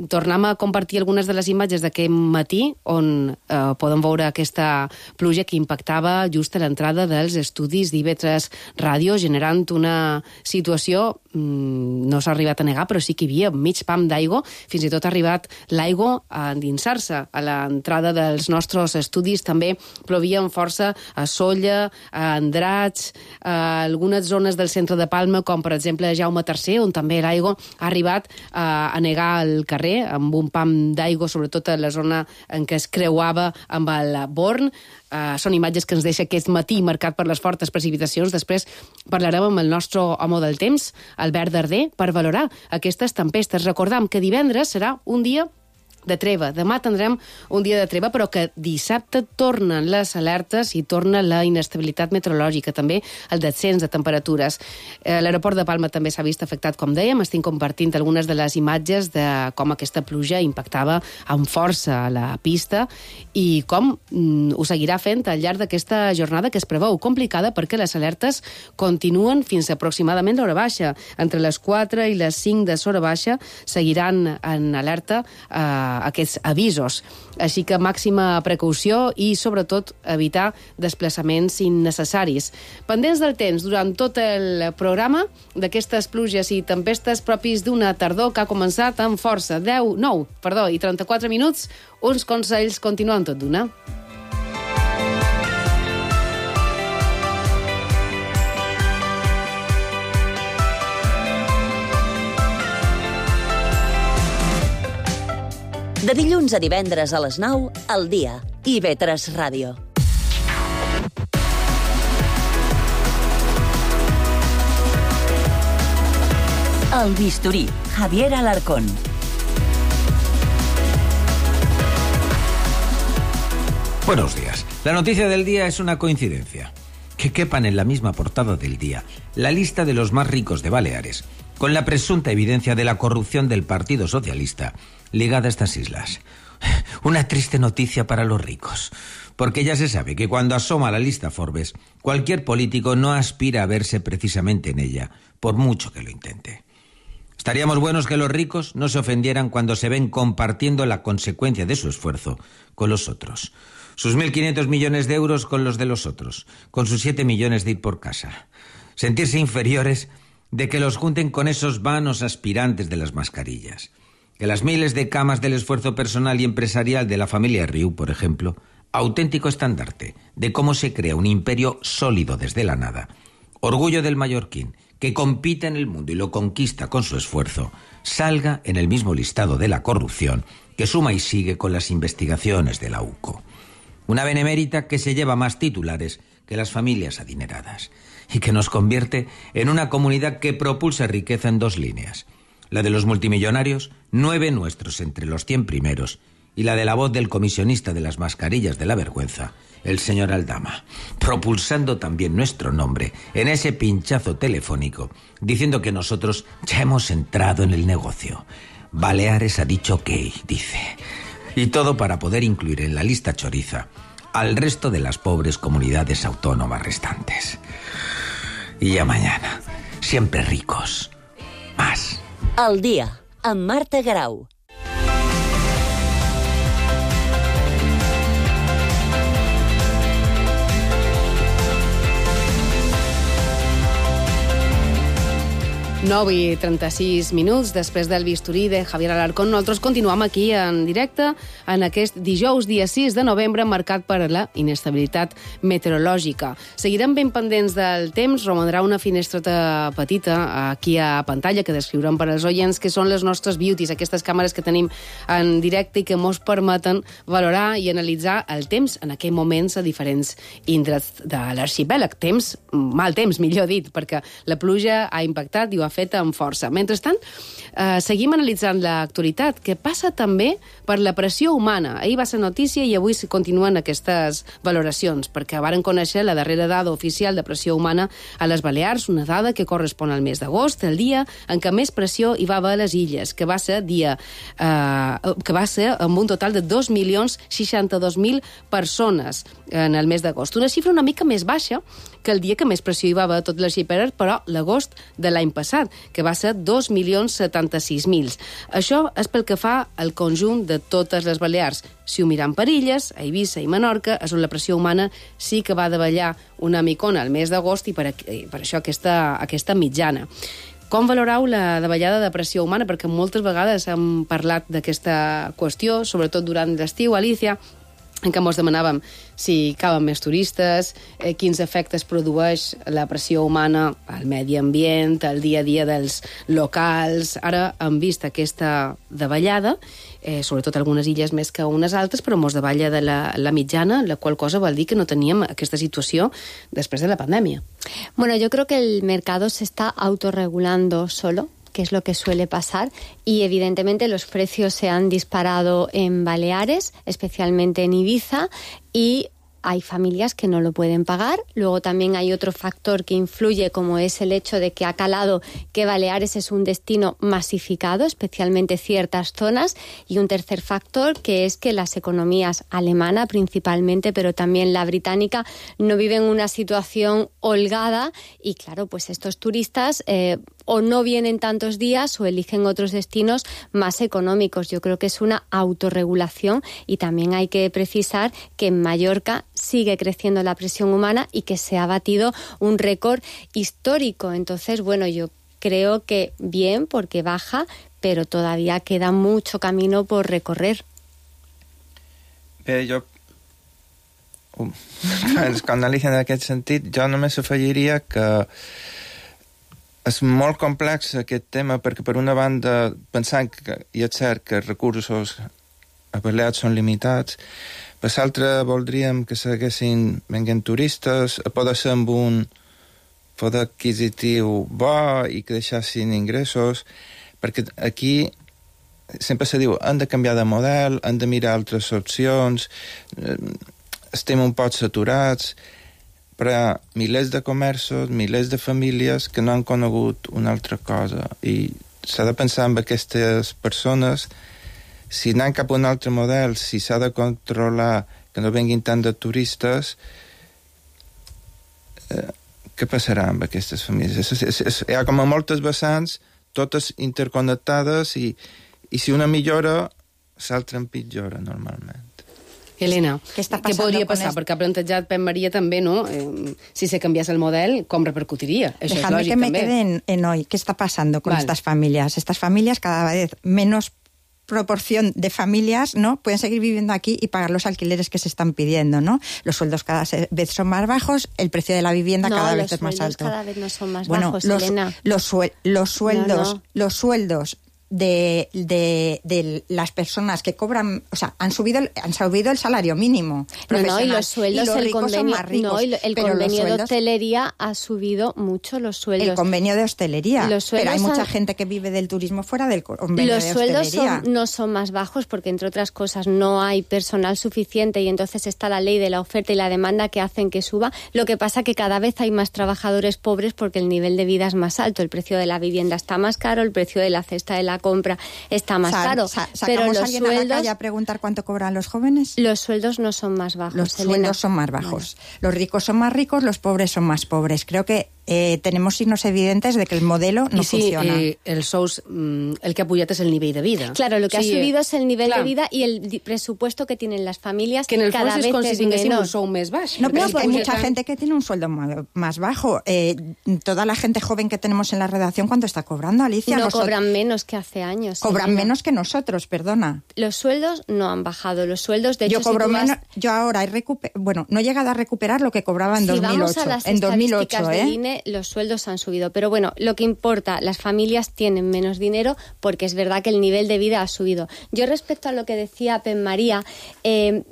Tornem a compartir algunes de les imatges d'aquest matí, on podem veure aquesta pluja que impactava just a l'entrada dels estudis d'IV3 Ràdio, generant una situació, no s'ha arribat a negar, però sí que hi havia mig pam d'aigua, fins i tot ha arribat l'aigua a endinsar-se a l'entrada dels nostres estudis. També plovia amb força a Sóller, a Andratx, a algunes zones del centre de Palma, com per exemple a Jaume III, on també l'aigua ha arribat a negar el carrer, amb un pam d'aigua, sobretot a la zona en què es creuava amb el Born. Són imatges que ens deixa aquest matí marcat per les fortes precipitacions. Després parlarem amb el nostre home del temps, Albert Darder, per valorar aquestes tempestes. Recordam que divendres serà un dia de treva. Demà tindrem un dia de treva, però que dissabte tornen les alertes i torna la inestabilitat meteorològica, també el descens de temperatures. L'aeroport de Palma també s'ha vist afectat, com dèiem. Estic compartint algunes de les imatges de com aquesta pluja impactava amb força a la pista i com ho seguirà fent al llarg d'aquesta jornada, que es preveu complicada perquè les alertes continuen fins aproximadament l'hora baixa. Entre les 4 i les 5 de l'hora baixa seguiran en alerta aquests avisos. Així que màxima precaució i, sobretot, evitar desplaçaments innecessaris. Pendents del temps durant tot el programa d'aquestes pluges i tempestes propis d'una tardor que ha començat amb força. 9 i 34 minuts, uns consells continuant tot d'una. De dilluns a divendres a les 9, al dia. IB3 Ràdio. El Bisturí, Javier Alarcón. Buenos días. La noticia del día es una coincidencia. Que quepan en la misma portada del día la lista de los más ricos de Baleares, con la presunta evidencia de la corrupción del Partido Socialista ligada a estas islas. Una triste noticia para los ricos, porque ya se sabe que cuando asoma la lista Forbes, cualquier político no aspira a verse precisamente en ella, por mucho que lo intente. Estaríamos buenos que los ricos no se ofendieran cuando se ven compartiendo la consecuencia de su esfuerzo con los otros. Sus 1.500 millones de euros con los de los otros, con sus 7 millones de ir por casa. Sentirse inferiores de que los junten con esos vanos aspirantes de las mascarillas. Que las miles de camas del esfuerzo personal y empresarial de la familia Riu, por ejemplo, auténtico estandarte de cómo se crea un imperio sólido desde la nada, orgullo del mallorquín, que compite en el mundo y lo conquista con su esfuerzo, salga en el mismo listado de la corrupción que suma y sigue con las investigaciones de la UCO. Una benemérita que se lleva más titulares que las familias adineradas y que nos convierte en una comunidad que propulsa riqueza en 2 líneas. La de los multimillonarios, 9 nuestros entre los 100 primeros, y la de la voz del comisionista de las mascarillas de la vergüenza, el señor Aldama, propulsando también nuestro nombre en ese pinchazo telefónico, diciendo que nosotros ya hemos entrado en el negocio. Baleares ha dicho ok, dice. Y todo para poder incluir en la lista choriza al resto de las pobres comunidades autónomas restantes. Y ya mañana, siempre ricos. Más. Al dia, amb Marta Grau. I 36 minuts després del bisturí de Javier Alarcón. Nosaltres continuem aquí en directe en aquest dijous, dia 6 de novembre, marcat per la inestabilitat meteorològica. Seguirem ben pendents del temps. Romandrà una finestreta petita aquí a pantalla que descriurem per als oients, que són les nostres beauties, aquestes càmeres que tenim en directe i que ens permeten valorar i analitzar el temps en aquells moments a diferents indrets de l'arxipèlag. Temps, mal temps, millor dit, perquè la pluja ha impactat i ho ha fet amb força. Mentrestant, seguim analitzant l'actualitat, que passa també per la pressió humana. Ahir va ser notícia i avui continuen aquestes valoracions, perquè varen conèixer la darrera dada oficial de pressió humana a les Balears, una dada que correspon al mes d'agost, el dia en què més pressió hi va haver a les illes, que va ser amb un total de 2.062.000 persones en el mes d'agost. Una xifra una mica més baixa que el dia que més pressió hi va haver a tot l'arxipèlag, però l'agost de l'any passat, que va ser 2.076.000. Això és pel que fa al conjunt de totes les Balears. Si ho mirem per illes, a Eivissa i Menorca, és on la pressió humana sí que va davallar una micona al mes d'agost i per això aquesta mitjana. Com valoreu la davallada de pressió humana? Perquè moltes vegades hem parlat d'aquesta qüestió, sobretot durant l'estiu, Alicia, en què ens demanàvem si caben més turistes, quins efectes produeix la pressió humana al medi ambient, al dia a dia dels locals. Ara hem vist aquesta davallada, sobretot algunes illes més que unes altres, però ens davalla de la mitjana, la qual cosa vol dir que no teníem aquesta situació després de la pandèmia. Bueno, yo creo que el mercado se está autorregulando solo, que es lo que suele pasar, y evidentemente los precios se han disparado en Baleares, especialmente en Ibiza, y hay familias que no lo pueden pagar. Luego también hay otro factor que influye, como es el hecho de que ha calado que Baleares es un destino masificado, especialmente ciertas zonas, y un tercer factor que es que las economías alemana principalmente, pero también la británica, no viven una situación holgada, y claro, pues estos turistas o no vienen tantos días o eligen otros destinos más económicos. Yo creo que es una autorregulación, y también hay que precisar que en Mallorca sigue creciendo la presión humana y que se ha batido un récord histórico. Entonces, bueno, yo creo que bien, porque baja, pero todavía queda mucho camino por recorrer. Bé, jo... Quan Alicia en aquest sentit, jo només afegiria que és molt complex aquest tema, perquè per una banda pensant que, i és cert que recursos a Balears són limitats. Per l'altre, voldríem que seguessin venint turistes, a poder ser amb un poder adquisitiu bo i que deixassin ingressos, perquè aquí sempre se diu hem de canviar de model, hem de mirar altres opcions, estem un poc saturats, però milers de comerços, milers de famílies que no han conegut una altra cosa i s'ha de pensar en aquestes persones. Si anem cap a un altre model, si s'ha de controlar que no venguin tant de turistes, què passarà amb aquestes famílies? Hi ha com a moltes vessants, totes interconnectades, i si una millora, l'altra empitjora normalment. Helena, què podria passar? Perquè ha plantejat Pep Maria també, ¿no? Si se cambiase el model, ¿cómo repercutiría? Eso es lógico que me quede en hoy. ¿Qué está pasando con estas familias? Estas familias cada vez menos proporción de familias, ¿no? Pueden seguir viviendo aquí y pagar los alquileres que se están pidiendo, ¿no? Los sueldos cada vez son más bajos, el precio de la vivienda cada vez es más alto. Cada vez no son más bajos, Elena. Los sueldos de las personas que cobran, o sea, han subido el salario mínimo y los sueldos, el convenio de hostelería ha subido mucho los sueldos. El convenio de hostelería, pero hay mucha gente que vive del turismo fuera del convenio de hostelería. Los sueldos no son más bajos porque, entre otras cosas, no hay personal suficiente y entonces está la ley de la oferta y la demanda que hacen que suba. Lo que pasa que cada vez hay más trabajadores pobres porque el nivel de vida es más alto, el precio de la vivienda está más caro, el precio de la cesta de la compra está más caro. Pero los sueldos, a la calle a preguntar cuánto cobran los jóvenes? Los sueldos no son más bajos, Los sueldos son más bajos. Vale. Los ricos son más ricos, los pobres son más pobres. Creo que tenemos signos evidentes de que el modelo no funciona. El sous, el que ha pujat és el nivell de vida. Claro, lo que ha subido es el nivel de vida y el presupuesto que tienen las familias, que en el cada fons vez com si tinguéssim un menos. sou més baix. No, pero es que hay mucha gente que tiene un sueldo más bajo. Toda la gente joven que tenemos en la redacción, ¿cuánto está cobrando, Alicia? No cobran menos que hace años. Cobran menos que nosotros, perdona. Los sueldos no han bajado. Los sueldos, de hecho, yo cobro menos. Yo ahora no he llegado a recuperar lo que cobraba en 2008. Vamos a las estadísticas del INE, los sueldos han subido. Pero bueno, lo que importa, las familias tienen menos dinero porque es verdad que el nivel de vida ha subido. Yo, respecto a lo que decía Pep María,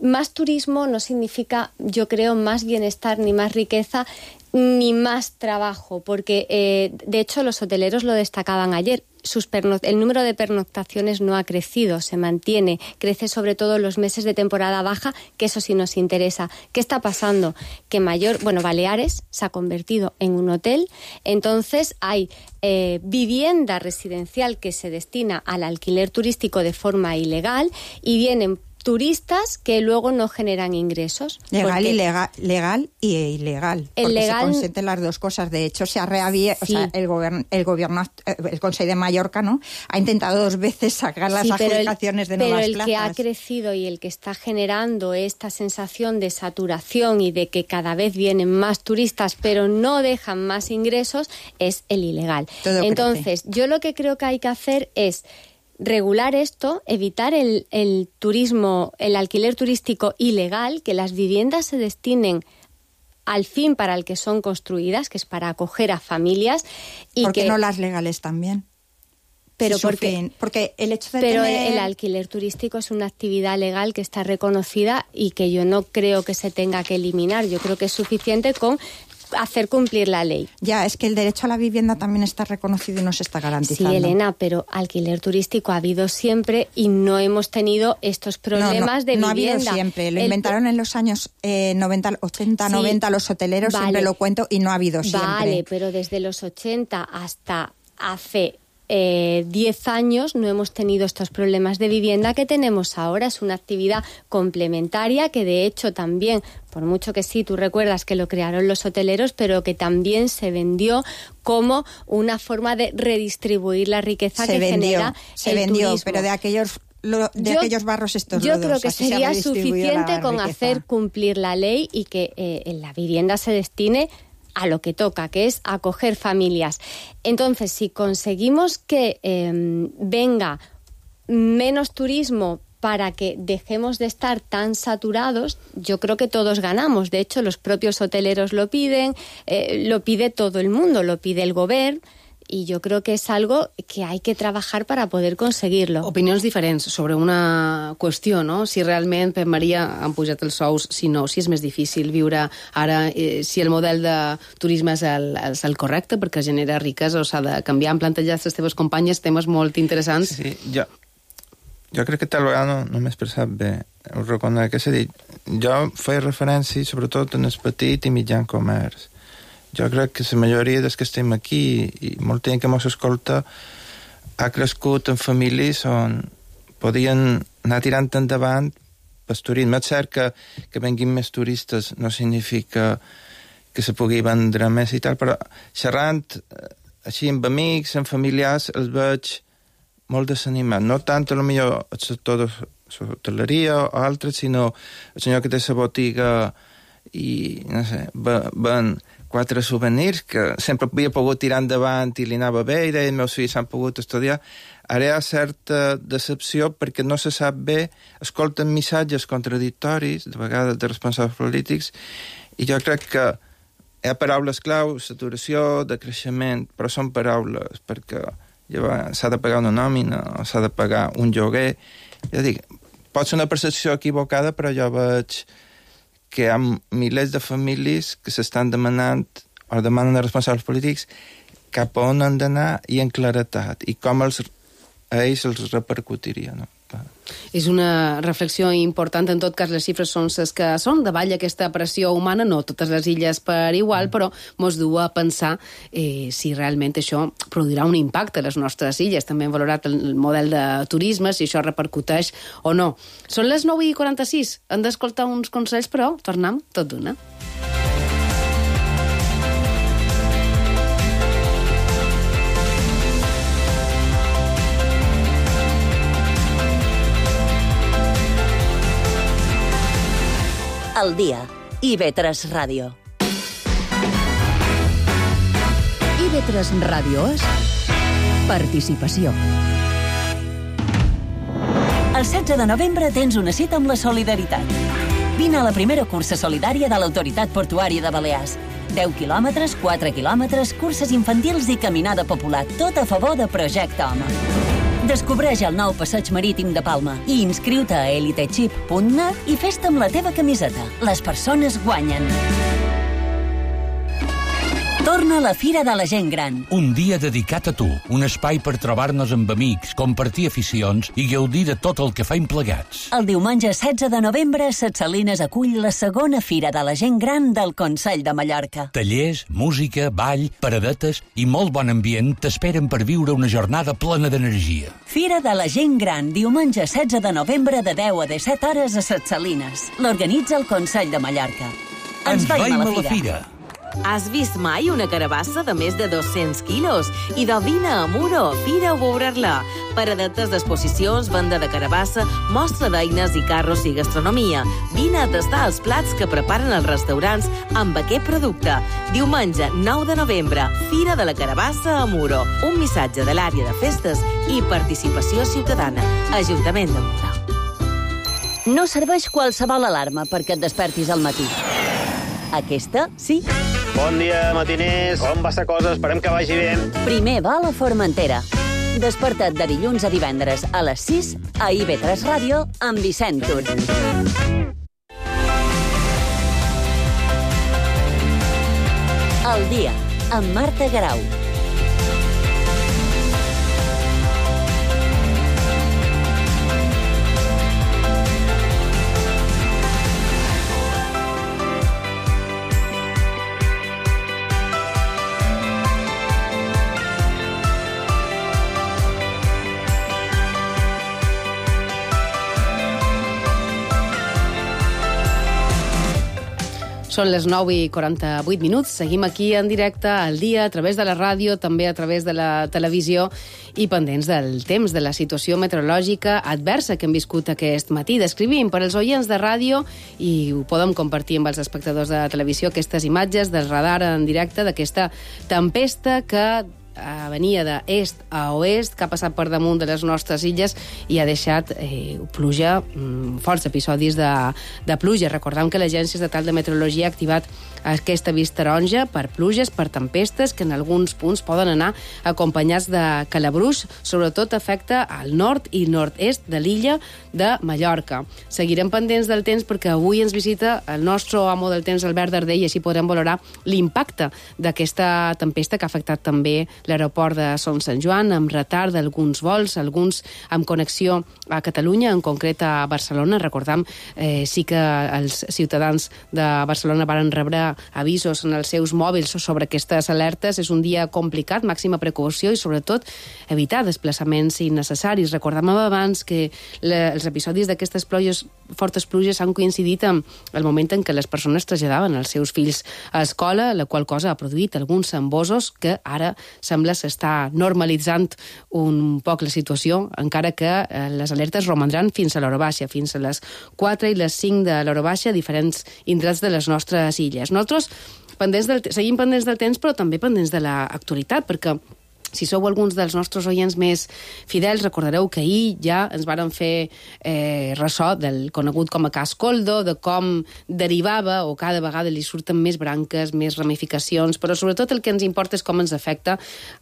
más turismo no significa, yo creo, más bienestar ni más riqueza ni más trabajo, porque de hecho los hoteleros lo destacaban ayer. El número de pernoctaciones no ha crecido, se mantiene, crece sobre todo en los meses de temporada baja, que eso sí nos interesa. ¿Qué está pasando? Que Baleares se ha convertido en un hotel, entonces hay vivienda residencial que se destina al alquiler turístico de forma ilegal y vienen turistas que luego no generan ingresos. Legal y ilegal. Porque se consienten las dos cosas. De hecho, se ha reabierto, sí. O sea, el gobierno, el Consejo de Mallorca, ¿no? Ha intentado 2 veces sacar las adjudicaciones de nuevas plazas. Pero el que ha crecido y el que está generando esta sensación de saturación y de que cada vez vienen más turistas, pero no dejan más ingresos, es el ilegal. Entonces, yo lo que creo que hay que hacer es regular esto, evitar el turismo, el alquiler turístico ilegal, que las viviendas se destinen al fin para el que son construidas, que es para acoger a familias. Y ¿por qué no las legales también? Pero porque el hecho de pero tener... el alquiler turístico es una actividad legal que está reconocida y que yo no creo que se tenga que eliminar. Yo creo que es suficiente con hacer cumplir la ley. Ya, es que el derecho a la vivienda también está reconocido y no se está garantizando. Sí, Elena, pero alquiler turístico ha habido siempre y no hemos tenido estos problemas de vivienda. No ha habido siempre. Lo inventaron en los años 90 los hoteleros, siempre lo cuento, y no ha habido siempre. Vale, pero desde los 80 hasta hace 10 años no hemos tenido estos problemas de vivienda que tenemos ahora. Es una actividad complementaria que, de hecho, también, por mucho que sí, tú recuerdas que lo crearon los hoteleros, pero que también se vendió como una forma de redistribuir la riqueza que genera el turismo. Pero de aquellos barros estos yo lodos. Creo que sería suficiente con hacer cumplir la ley y que en la vivienda se destine a lo que toca, que es acoger familias. Entonces, si conseguimos que venga menos turismo para que dejemos de estar tan saturados, yo creo que todos ganamos. De hecho, los propios hoteleros lo piden, lo pide todo el mundo, lo pide el gobierno, y yo creo que es algo que hay que trabajar para poder conseguirlo. Opinions diferents sobre una qüestió, no? Si realment, Pep Maria, han pujat els sous, si no, si és més difícil viure ara, si el model de turisme és el correcte perquè genera riquesa o s'ha de canviar. Han plantejat les teves companyes temes molt interessants. Sí, jo crec que tal vegada no m'he expressat bé. Ho reconec, és a dir, jo feia referència sobretot en el petit i mitjan comerç. Jo crec que la majoria dels que estem aquí i molta gent que mos escolta ha crescut en famílies on podien anar tirant endavant pel turisme. És cert que venguin més turistes no significa que se pugui vendre més i tal, però xerrant així amb amics, amb familiars, els veig molt desanimat. No tant, potser el sector de l'hoteleria o altres, sinó el senyor que té la botiga i, no sé, ven 4 souvenirs que sempre havia pogut tirar endavant i li anava bé i deia, els meus fills han pogut estudiar. Ara hi ha certa decepció perquè no se sap bé, escolten missatges contradictoris, de vegades de responsables polítics, i jo crec que hi ha paraules clau, saturació, de creixement, però són paraules perquè s'ha de pagar una nòmina o s'ha de pagar un lloguer. Jo dic, pot ser una percepció equivocada, però jo veig que hi ha milers de famílies que s'estan demanant o demanen a responsables polítics cap a on han d'anar i en claretat, i com a ells els repercutiria, no? És una reflexió important. En tot cas, les xifres són les que són. Davall aquesta pressió humana, no totes les illes per igual, però mos du a pensar si realment això produirà un impacte a les nostres illes. També hem valorat el model de turisme, si això repercuteix o no. Són les 9:46. Hem d'escoltar uns consells, però tornem tot d'una. Al dia. IB3 Ràdio. IB3 Ràdio és participació. El 16 de novembre tens una cita amb la solidaritat. Vine a la primera cursa solidària de l'Autoritat Portuària de Balears. 10 quilòmetres, 4 quilòmetres, curses infantils i caminada popular, tot a favor de Projecte Home. Descobreix el nou passeig marítim de Palma i inscriu-te a elitechip.net i fes-te amb la teva camiseta. Les persones guanyen. Torna a la Fira de la Gent Gran. Un dia dedicat a tu, un espai per trobar-nos amb amics, compartir aficions i gaudir de tot el que faim plegats. El diumenge 16 de novembre, Ses Salines acull la segona Fira de la Gent Gran del Consell de Mallorca. Tallers, música, ball, paradetes i molt bon ambient t'esperen per viure una jornada plena d'energia. Fira de la Gent Gran, diumenge 16 de novembre de 10 a 17 hores a Ses Salines. L'organitza el Consell de Mallorca. Ens veiem a la Fira. Has vist mai una carabassa de més de 200 quilos? I de vine a Muro, fira a veure-la. Paradetes d'exposicions, venda de carabassa, mostra d'eines i carros i gastronomia. Vine a tastar els plats que preparen els restaurants amb aquest producte. Diumenge 9 de novembre, Fira de la Carabassa a Muro. Un missatge de l'àrea de festes i participació ciutadana. Ajuntament de Muro. No serveix qualsevol alarma perquè et despertis al matí. Aquesta, sí. Bon dia, matiners. Com va la cosa? Esperem que vagi bé. Primer va a la Formentera. Desperta't de dilluns a divendres a les 6 a IB3 Ràdio amb Vicent Tur. El dia, amb Marta Garau. Són les 9:48. Seguim aquí en directe al dia, a través de la ràdio, també a través de la televisió i pendents del temps, de la situació meteorològica adversa que hem viscut aquest matí. Descrivim per als oients de ràdio i ho podem compartir amb els espectadors de televisió aquestes imatges del radar en directe d'aquesta tempesta que venia d'est a oest, que ha passat per damunt de les nostres illes i ha deixat pluja, forts episodis de pluja. Recordem que l'Agència Estatal de Meteorologia ha activat aquesta avís taronja per pluges, per tempestes, que en alguns punts poden anar acompanyats de calabruix. Sobretot afecta al nord i nord-est de l'illa de Mallorca. Seguirem pendents del temps perquè avui ens visita el nostre amo del temps, Albert Darder, i així podrem valorar l'impacte d'aquesta tempesta que ha afectat també l'aeroport de Son Sant Joan, amb retard d'alguns vols, alguns amb connexió a Catalunya, en concret a Barcelona. Recordam, sí que els ciutadans de Barcelona varen rebre avisos en els seus mòbils sobre aquestes alertes. És un dia complicat, màxima precaució i, sobretot, evitar desplaçaments innecessaris. Recordàvem abans que els episodis d'aquestes fortes pluges han coincidit amb el moment en què les persones traslladaven els seus fills a escola, la qual cosa ha produït alguns embossos que ara sembla s'està normalitzant un poc la situació, encara que les alertes romandran fins a l'hora baixa, fins a les 4 i les 5 de l'hora baixa a diferents indrets de les nostres illes. Nosaltres seguim pendents del temps, però també pendents de l'actualitat, perquè si sou alguns dels nostres oients més fidels, recordareu que ahir ja ens varen fer ressò del conegut com a cas Koldo, de com derivava o cada vegada li surten més branques, més ramificacions, però sobretot el que ens importa és com ens afecta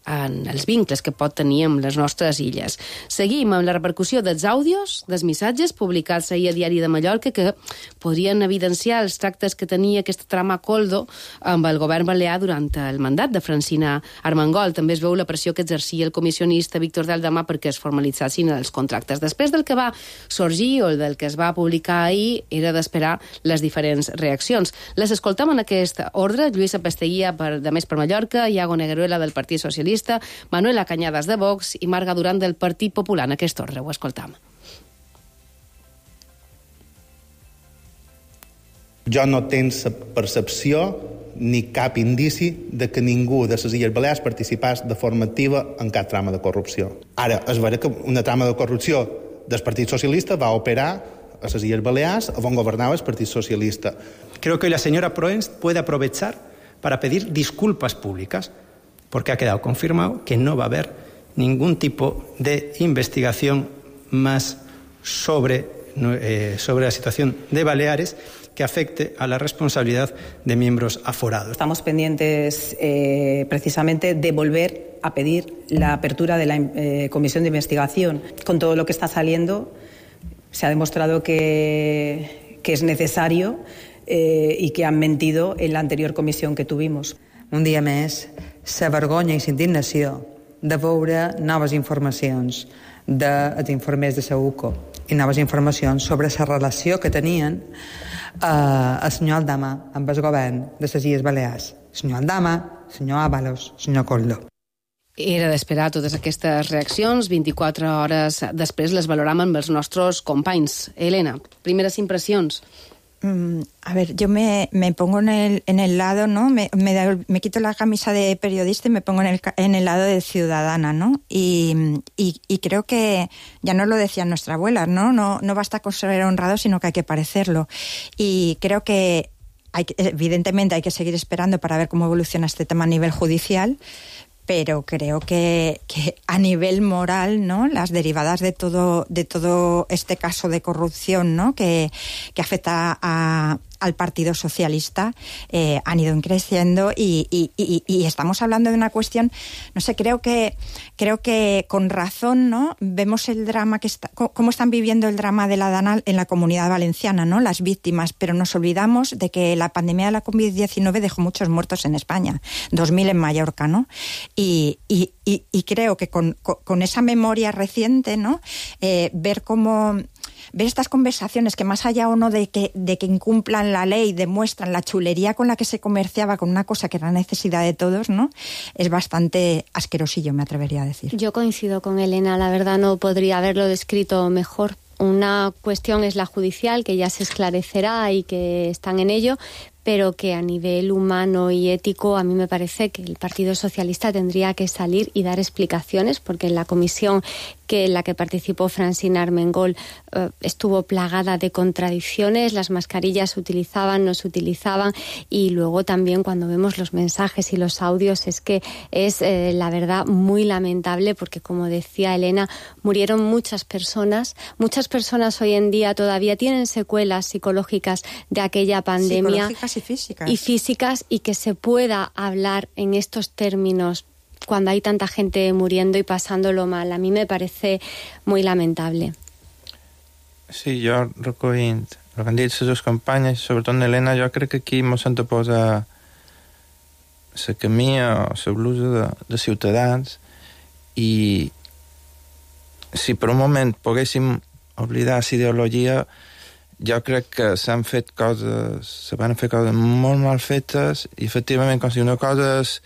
en els vincles que pot tenir amb les nostres illes. Seguim amb la repercussió dels àudios, dels missatges publicats ahir a Diari de Mallorca que podrien evidenciar els tractes que tenia aquesta trama Koldo amb el govern balear durant el mandat de Francina Armengol. També es veu la pressió que exercia el comissionista Víctor Daldama perquè es formalitzassin els contractes. Després del que va sorgir o del que es va publicar ahir, era d'esperar les diferents reaccions. Les escoltam en aquest ordre: Lluïsa Pasteguía, de Més per Mallorca, Iago Negueruela, del Partit Socialista, Manuela Cañadas, de Vox, i Marga Duran, del Partit Popular. En aquest ordre ho escoltam. Jo no tens percepció ni cap indici de que ningú de les Illes Balears participés de forma activa en cap trama de corrupció. Ara, és vera que una trama de corrupció del Partit Socialista va operar a les Illes Balears on governava el Partit Socialista. Creo que la señora Proens puede aprovechar para pedir disculpas públicas, porque ha quedado confirmado que no va a haber ningún tipo de investigación más sobre la situación de Baleares que afecte a la responsabilidad de miembros aforados. Estamos pendientes precisamente de volver a pedir la apertura de la comisión de investigación. Con todo lo que está saliendo, se ha demostrado que es necesario y que han mentido en la anterior comisión que tuvimos. Un dia més, la vergonya i la indignació de veure noves informacions dels informers de la UCO i noves informacions sobre la relació que tenien el senyor Aldama amb el govern de les Illes Balears. Senyor Aldama, senyor Ábalos, senyor Koldo. Era d'esperar totes aquestes reaccions. 24 hores després les valoràvem amb els nostres companys. Elena, primeres impressions. A ver, yo me pongo en el lado, ¿no? Me quito la camisa de periodista y me pongo en el lado de ciudadana, ¿no? Y creo que, ya nos lo decían nuestra abuela, ¿no? No basta con ser honrado, sino que hay que parecerlo. Y creo que evidentemente hay que seguir esperando para ver cómo evoluciona este tema a nivel judicial, pero creo que a nivel moral, ¿no? Las derivadas de todo este caso de corrupción, ¿no? que afecta al Partido Socialista han ido creciendo y estamos hablando de una cuestión, no sé, creo que con razón, ¿no? Vemos el drama cómo están viviendo el drama de la DANA en la Comunidad Valenciana, ¿no? Las víctimas, pero nos olvidamos de que la pandemia de la COVID-19 dejó muchos muertos en España, 2.000 en Mallorca, ¿no? Y creo que con esa memoria reciente, ¿no? Ver estas conversaciones que, más allá o no de que incumplan la ley, demuestran la chulería con la que se comerciaba con una cosa que era necesidad de todos, ¿no? Es bastante asquerosillo, me atrevería a decir. Yo coincido con Elena, la verdad no podría haberlo descrito mejor. Una cuestión es la judicial, que ya se esclarecerá y que están en ello, pero que a nivel humano y ético a mí me parece que el Partido Socialista tendría que salir y dar explicaciones, porque en la comisión que en la que participó Francina Armengol estuvo plagada de contradicciones, las mascarillas se utilizaban, no se utilizaban, y luego también cuando vemos los mensajes y los audios es que es la verdad muy lamentable, porque como decía Elena, murieron muchas personas hoy en día todavía tienen secuelas psicológicas de aquella pandemia. Psicológicas y físicas, y que se pueda hablar en estos términos cuando hay tanta gente muriendo y pasándolo mal. A mí me parece muy lamentable. Sí, jo recollint el que han dit les dues companyes, sobretot Elena, jo crec que aquí mos hem de posar la camisa o la blusa de ciutadans, i si per un moment poguéssim oblidar la ideologia, jo crec que se van fer coses molt mal fetes, i efectivament, com si una cosa és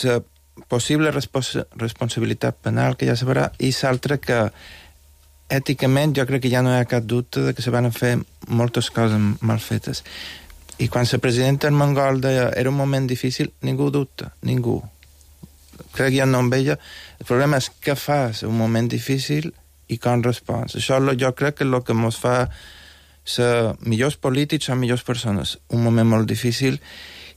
la possible responsabilitat penal, que ja se veurà, i l'altra que èticament jo crec que ja no hi ha cap dubte de que se van fer moltes coses mal fetes. I quan la presidenta Armengol deia era un moment difícil, ningú dubta, ningú. Crec que ja no en veia. El problema és què fas en un moment difícil i com respons. Això jo crec que és el que ens fa ser millors polítics, ser millors persones. Un moment molt difícil,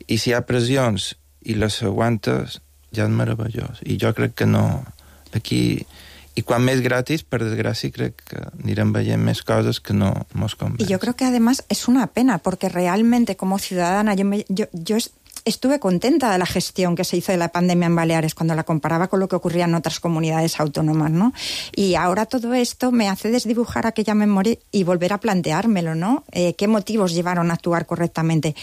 i si hi ha pressions i les aguantes, ja és meravellós. I jo crec que no... Aquí... I quan més gratis, per desgràcia, crec que anirem veient més cosas que no nos convencen. Y yo creo que además es una pena, porque realmente como ciudadana yo estuve contenta de la gestión que se hizo de la pandemia en Baleares cuando la comparaba con lo que ocurría en otras comunidades autónomas, ¿no? Y ahora todo esto me hace desdibujar aquella memoria y volver a planteármelo, ¿no? ¿Qué motivos llevaron a actuar correctamente?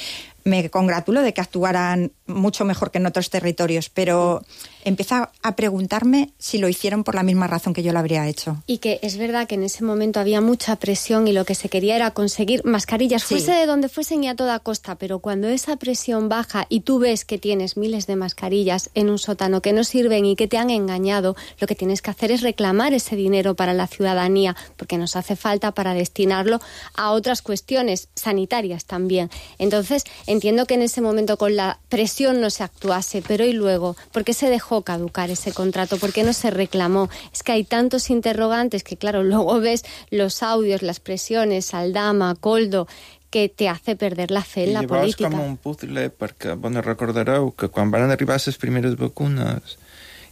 Me congratulo de que actuaran mucho mejor que en otros territorios, pero empiezo a preguntarme si lo hicieron por la misma razón que yo lo habría hecho. Y que es verdad que en ese momento había mucha presión y lo que se quería era conseguir mascarillas, fuese de donde fuesen y a toda costa, pero cuando esa presión baja y tú ves que tienes miles de mascarillas en un sótano que no sirven y que te han engañado, lo que tienes que hacer es reclamar ese dinero para la ciudadanía, porque nos hace falta para destinarlo a otras cuestiones sanitarias también. Entonces, entiendo que en ese momento con la presión no se actuase, pero ¿y luego? ¿Por qué se dejó caducar ese contrato? ¿Por qué no se reclamó? Es que hay tantos interrogantes que, claro, luego ves los audios, las presiones, Aldama, Coldo, que te hace perder la fe en la política. I llavors com un puzzle, perquè, recordareu que quan van arribar les primeres vacunes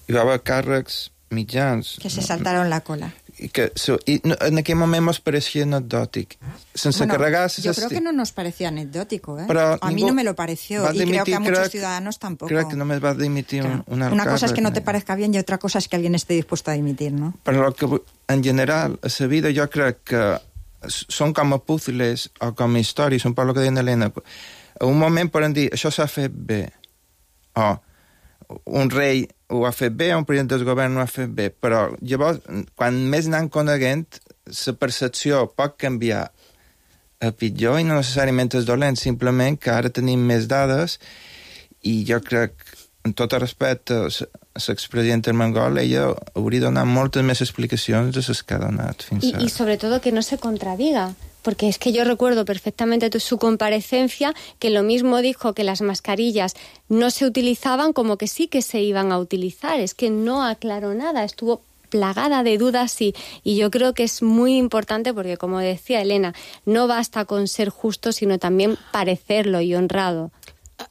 hi va haver càrrecs mitjans... Que se saltaron la cola. I en aquell moment ens pareixia anecdòtic. Sense carregar... Yo creo que no nos parecía anecdótico, ¿eh? Pero a mí no me lo pareció, y creo que a muchos ciudadanos tampoco. Creo que només va dimitir un alcalde. Una cosa es que no te parezca bien y otra cosa es que alguien esté dispuesto a dimitir, ¿no? Però que, en general, a la vida jo crec que són com a puzzles o com a històries, un poc el que deia Elena. A un moment poden dir, això s'ha fet bé, o un rei ho ha fet bé, un president del govern ho ha fet bé, però llavors, quan més anem coneguent, la percepció pot canviar a pitjor i no necessàriament és dolent, simplement que ara tenim més dades i jo crec, en tot el respecte, l'expresidenta Armengol, ella hauria donat moltes més explicacions de les que ha donat fins ara. Y sobre todo que no se contradiga. Porque es que yo recuerdo perfectamente su comparecencia, que lo mismo dijo que las mascarillas no se utilizaban, como que sí que se iban a utilizar. Es que no aclaró nada, estuvo plagada de dudas y yo creo que es muy importante porque, como decía Elena, no basta con ser justo, sino también parecerlo y honrado.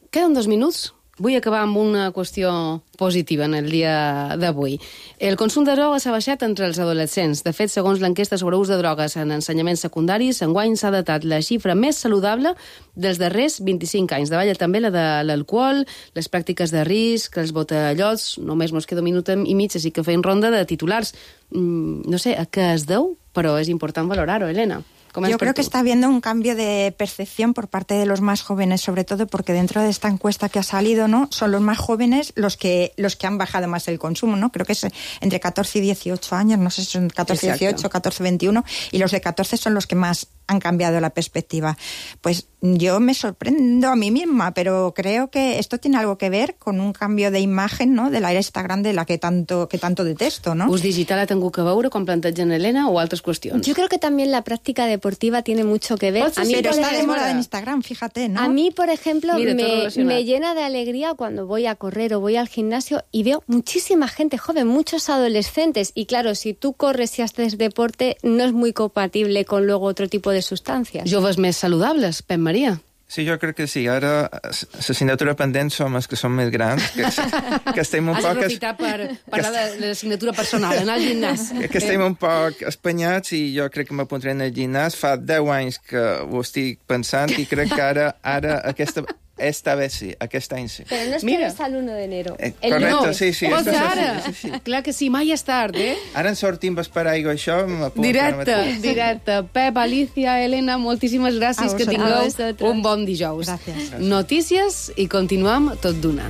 Queden 2 minuts. Vull acabar amb una qüestió positiva en el dia d'avui. El consum de drogues s'ha baixat entre els adolescents. De fet, segons l'enquesta sobre ús de drogues en ensenyaments secundaris, enguany s'ha datat la xifra més saludable dels darrers 25 anys. Davalla també la de l'alcohol, les pràctiques de risc, els botellots. Només mos queda un minut i mig, així que feim ronda de titulars. No sé a què es deu, però és important valorar-ho, Elena. Yo creo que está habiendo un cambio de percepción por parte de los más jóvenes, sobre todo porque dentro de esta encuesta que ha salido, ¿no?, son los más jóvenes los que han bajado más el consumo, ¿no? Creo que es entre 14 y 18 años, no sé si son 14, 18, 14, 21, y los de 14 son los que más han cambiado la perspectiva. Pues yo me sorprendo a mí misma, pero creo que esto tiene algo que ver con un cambio de imagen, ¿no?, de la era Instagram de la que tanto detesto, ¿no? Ús digital ha tingut que veure, com plantegen Elena, o altres qüestions? Yo creo que también la práctica deportiva tiene mucho que ver. A mí, pero está de moda en Instagram, fíjate, ¿no? A mí, por ejemplo, Mira, me llena de alegría cuando voy a correr o voy al gimnasio y veo muchísima gente joven, muchos adolescentes. Y claro, si tú corres y haces deporte, no es muy compatible con luego otro tipo de sustancias. Joves més saludables, Pep Maria. Sí, jo crec que sí. Ara, l'assignatura pendent som els que som més grans, que estem un poc... Has d'aprofitar per parlar de l'assignatura personal, anar al gimnàs. Que estem un poc espanyats i jo crec que m'apuntaré en el gimnàs. Fa 10 anys que ho estic pensant i crec que ara esta vez sí, aquest any sí. Però no esperes al 1 d'enero. Correcte, sí. Sí. Clar que sí, mai és tard, eh? Ara en sortim per aigua, això m'apunta. Directe. Pep, Alicia, Elena, moltíssimes gràcies, que tingueu un bon dijous. Gràcies. Notícies i continuem tot d'una.